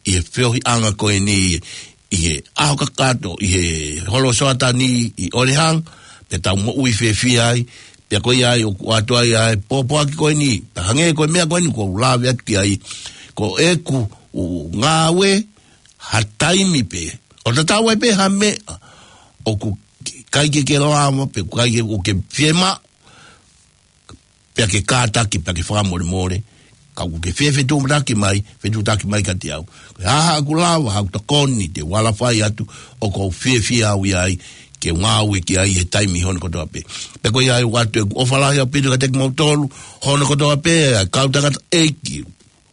ʻi he feohiʻanga ko eni, ʻi he ʻaho kakato, ʻi he holo Soatani, ʻi ʻOlehanga, pea tau moʻui fiefia ai, pea ko ia ai ʻoku ʻoatu ai ʻa e pōpoaki ko eni, pea hangē ko e meʻa ko eni ʻoku ou lave atu ki ai, ko ʻeku ʻū ngāue, ha taimi pē, ʻo tatau ai pē ha meʻa, ʻoku ʻikai ke ke lava, pe ʻikai ke, ʻoku ke fiemaʻu, pea ke kātaki, pea ke fakamolemole, ka ʻoku ke fie fetuʻutaki mai, fetuʻutaki mai kiate au. Ko e hā haʻaku lava, haʻaku tokoni, te u ala fai atu, ʻoku ou fiefia au ʻi ai, ke ngāue ki ai he taimi hono kotoa pē. Pea ko ia ai ʻoatu ʻeku ʻofa lahi ʻaupito kiate kimoutolu, hono kotoa pē, ʻa e kau tangataʻeiki,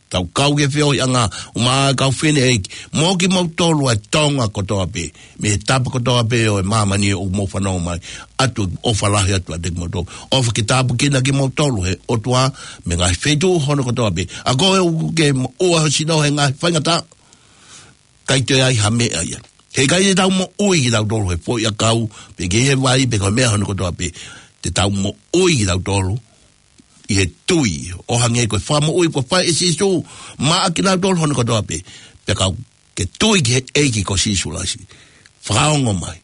tau kau ki he feohiʻanga, ʻumaʻā e kau fineʻeiki, mo kimoutolu ʻa e Tonga kotoa pē, mei he tapa kotoa pē ʻo e māmani ʻoku mou fanongo mai, ʻoatu ʻofa lahi atu kiate kimoutolu. ʻOfa ke tāpuekina kimoutolu ʻe he ʻOtua, mei he ngaahi feituʻu hono kotoa pē. ʻA ko ē ʻoku ke moʻua ho sino he ngaahi faingataʻa, ʻikai toe ʻi ai ha meʻa ia. He ʻikai te tau moʻui kitautolu he foʻiʻakau, pe ki he vai, pe ko e meʻa hono kotoa pē. Te tau moʻui kitautolu ʻi he tui, ʻo hangē ko e fakamoʻui kuo fai ʻe Sīsū maʻa kinautolu hono kotoa pē. Pea ka ke tui ki he ʻEiki ko Sīsū Kalaisi, fakaongo mai,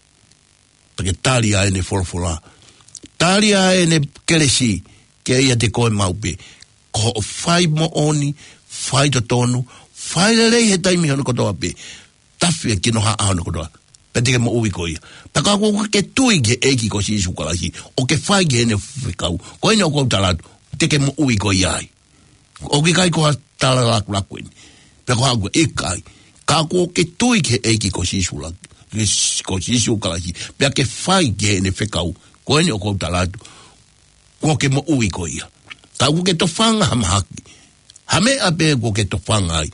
pea ke tali ʻa ʻene folofola, tali ʻa ʻene kelesi, ke ʻiate koe maʻu pē. Ko hoʻo fai moʻoni, fai totonu, fai lelei he taimi hono kotoa pē, tafe kinohaʻa hono kotoa, pea te ke moʻui koe ia. Pea ka ʻoku ke tui ki he ʻEiki ko Sīsū Kalaisi, ʻo ke fai ki heʻene fekau, ko eni ʻoku ou tala atu, te ke moʻui koe ia ai. ʻOku ʻikai ko ha tala lakulaku eni, pea ko haʻaku ʻikai. Ka ʻoku ke tui ki he ʻEiki ko Sīsū la-, ki s-, ko Sīsū Kalaisi, pea ke fai ki heʻene fekau, ko eni ʻoku ou tala atu, kuo ke moʻui koe ia. Ka ʻoku ke tofanga ha mahaki, ha meʻa pē kuo ke tofanga ai,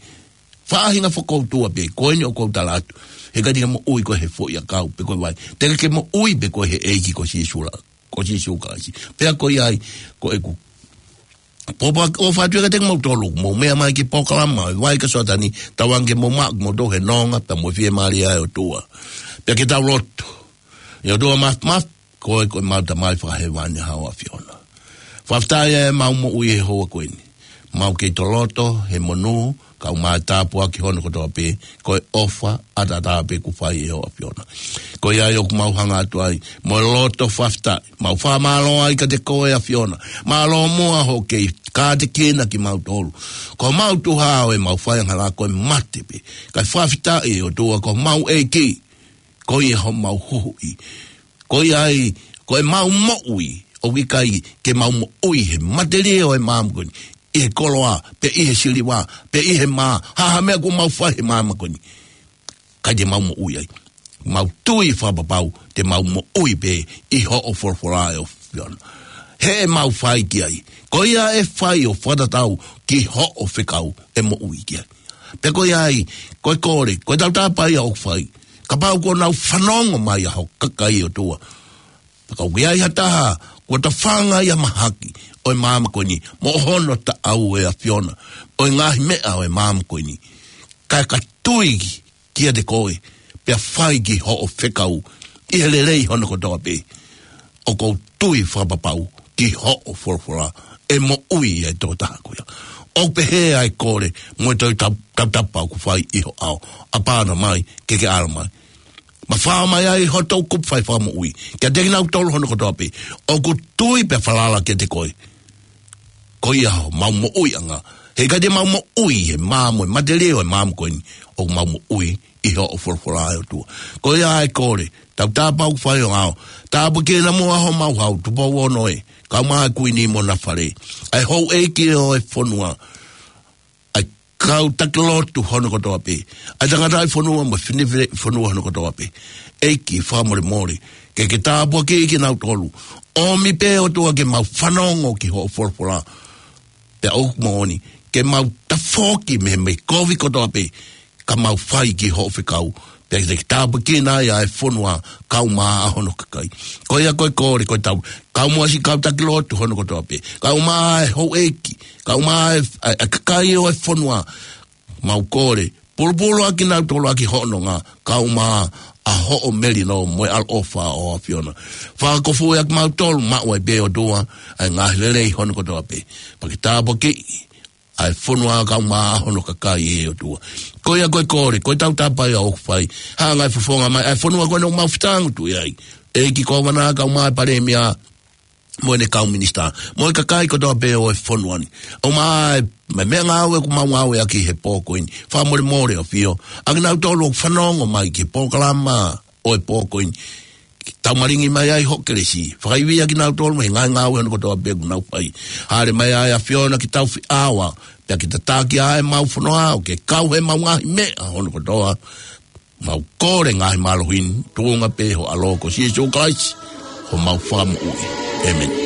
faʻahinga fokoutua pē, ko eni ʻoku ou tala atu, he ʻikai te ke moʻui koe he foʻiʻakau, pe ko e vai. Te ke moʻui pē koe he ʻEiki ko Sīsū la-, ko Sīsū Kalaisi. Pea ko ia ai, ko ʻeku pōpoaki ʻofa atu kiate kimoutolu, mou meʻa mai ki he polokalama, ʻa e Vai kia Soatani, tauange ke mou maʻu kimoutolu he nonga, pea mo e fiemālie ʻa e ʻOtua. Pea ke tau lotu. ʻE ʻOtua Māfimafi, ko e, ko ʻemau Tamai Fakahēvani, ʻa ho ʻAfiona. Fakafetaʻi ʻemau moʻui he houa ko eni. Mau kei toloto he monū, kae ʻumaʻā e tāpuaki hono kotoa pē, ko e ʻofa ʻataʻatā pē kuo fai ʻe ho ʻAfiona. Ko ia ai ʻoku mau hanga atu ai, mo e loto fakafetaʻi, mau fakamālō ai kiate koe ʻAfiona. Mālō muʻa hoʻo kei kātekina kimautolu. Ko homau tuha ʻo ʻemau faiangahala ko e mate pē. Kae fakafetaʻi ʻOtua ko homau ʻEiki. Ko ia homau huhuʻi. Ko ia ai, ko ʻemau moʻui, ʻoku ʻikai ke mau moʻui he matelie ʻo e māmani ko eni. ʻi he koloa, pe ʻi he siliva, pe ʻi he mā, ha ha meʻa kuo mau fai he māmani ko eni, ʻikai te mau moʻui ai. Mau tui fakapapau te mau moʻui pē ʻi hoʻo folofola ʻe ʻAfiona. He ʻe mau fai ki ai. Ko ia ʻe fai ʻo fakatatau ki hoʻo fekau ʻe moʻui ki ai. Pea ko ia ai, ko e kole, ko e tautapa ia ʻoku fai. Kapau kuo nau fanongo mai ʻa ho kakai ʻOtua. Pea ka ʻoku ʻi ai ha taha, kuo tafanga ʻi he mahaki ʻo e māmani ko eni, mo hono taʻau ʻe ʻAfiona ʻo e ngaahi meʻa ʻo e māmani ko eni, kae ka tui kiate koe, pea fai ki hoʻo fekau, ʻi he lelei hono kotoa pē, ʻoku ou tui fakapapau ki hoʻo folofola, ʻe moʻui ʻa e tokotaha ko ia. ʻOku pehē ʻa e kole, mo e toe tau-, tautapa ʻoku fai ʻi ho ʻao, ʻApana mai, ke ke ʻalu mai. Mafao mai ai hoto kupu fai fakamoʻui kiate kinautolu hono kotoa pē ʻoku tui pea falala kiate koe. Ko ia homau moʻuiʻanga. He ʻikai te mau moʻui he mā mo e matelie ʻo e māmani ko eni, ʻoku mau moʻui ʻi hoʻo folofola ʻe ʻOtua. Ko ia ʻa e kole, tautapa ʻoku fai ʻi ho ʻao. Tāpuakiʻi naʻa mo homau hau, Tupou Ono ē, kae ʻumaʻā e kuini mo hona fale, ʻa e houʻeiki ʻo e fonua, ʻa e kau taki lotu hono kotoa pē, ʻa e tangataʻi fonua mo e fineʻeiki fonua hono kotoa pē. ʻEiki, fakamolemole, ke ke tāpuakiʻi kinautolu. ʻOmi pē ʻOtua ke mau fanongo ki hoʻo folofola. Pea ʻoku moʻoni, ke mau tafoki mei he meʻa kovi kotoa pē, ka mau fai ki hoʻo fekau. Pea ke tāpuakiʻi ai ʻa e fonua, kae ʻumaʻā hono kakai. Ko ia ko e kole, ko e tau, kae ʻumaʻā siʻi kau taki lotu hono kotoa pē, kae ʻumaʻā e houʻeiki, kae ʻumaʻā e, ʻa e, ʻa e kakai ʻo e fonua. Mau kole, pulupulu ʻa kinautolu ʻaki hoʻo nonga, kae ʻumaʻā ʻa hoʻo melino mo e ʻaloʻofa ʻo ʻAfiona. Fakakofuʻi ʻa kimautolu maʻu ai pē ʻOtua ʻa e ngaahi lelei hono kotoa pē. Pea ke tāpuakiʻi ʻa e fonua kae ʻumaʻā hono kakai ʻe ʻOtua. Ko ia ko e kole, ko e tautapa ia ʻoku fai. Hanga ʻe he fofonga mai ʻa e fonua ko eni ʻoku mau fetangutu ʻi ai, ʻEiki Kōvana, kae ʻumaʻā e Palēmia, mo ʻene kau minisitā, mo e kakai kotoa pē ʻo e fonua ni. ʻUmaʻā e, mo e meʻangāue ʻoku mau ngāueʻaki he pō ko eni. Fakamolemole ʻAfio, ʻa kinautolu ʻoku fanongo mai ki he polokalama ʻo e pō ko eni. Taumalingi mai ai ho kelesi. Fakaivia kinautolu mei he ngaahi ngāue hono kotoa pē ʻoku nau fai. Hāʻele mai ai ʻAfiona ki tau fiʻaua, pea ke tataki ʻa e mau fonua ʻo ke kau he mau ngaahi meʻa hono kotoa. Mau kole ngaahi mālohi ni, tuʻunga pē ho ʻAlo ko Sīsū Kalaisi, homau Fakamoʻui. ʻĒmeni.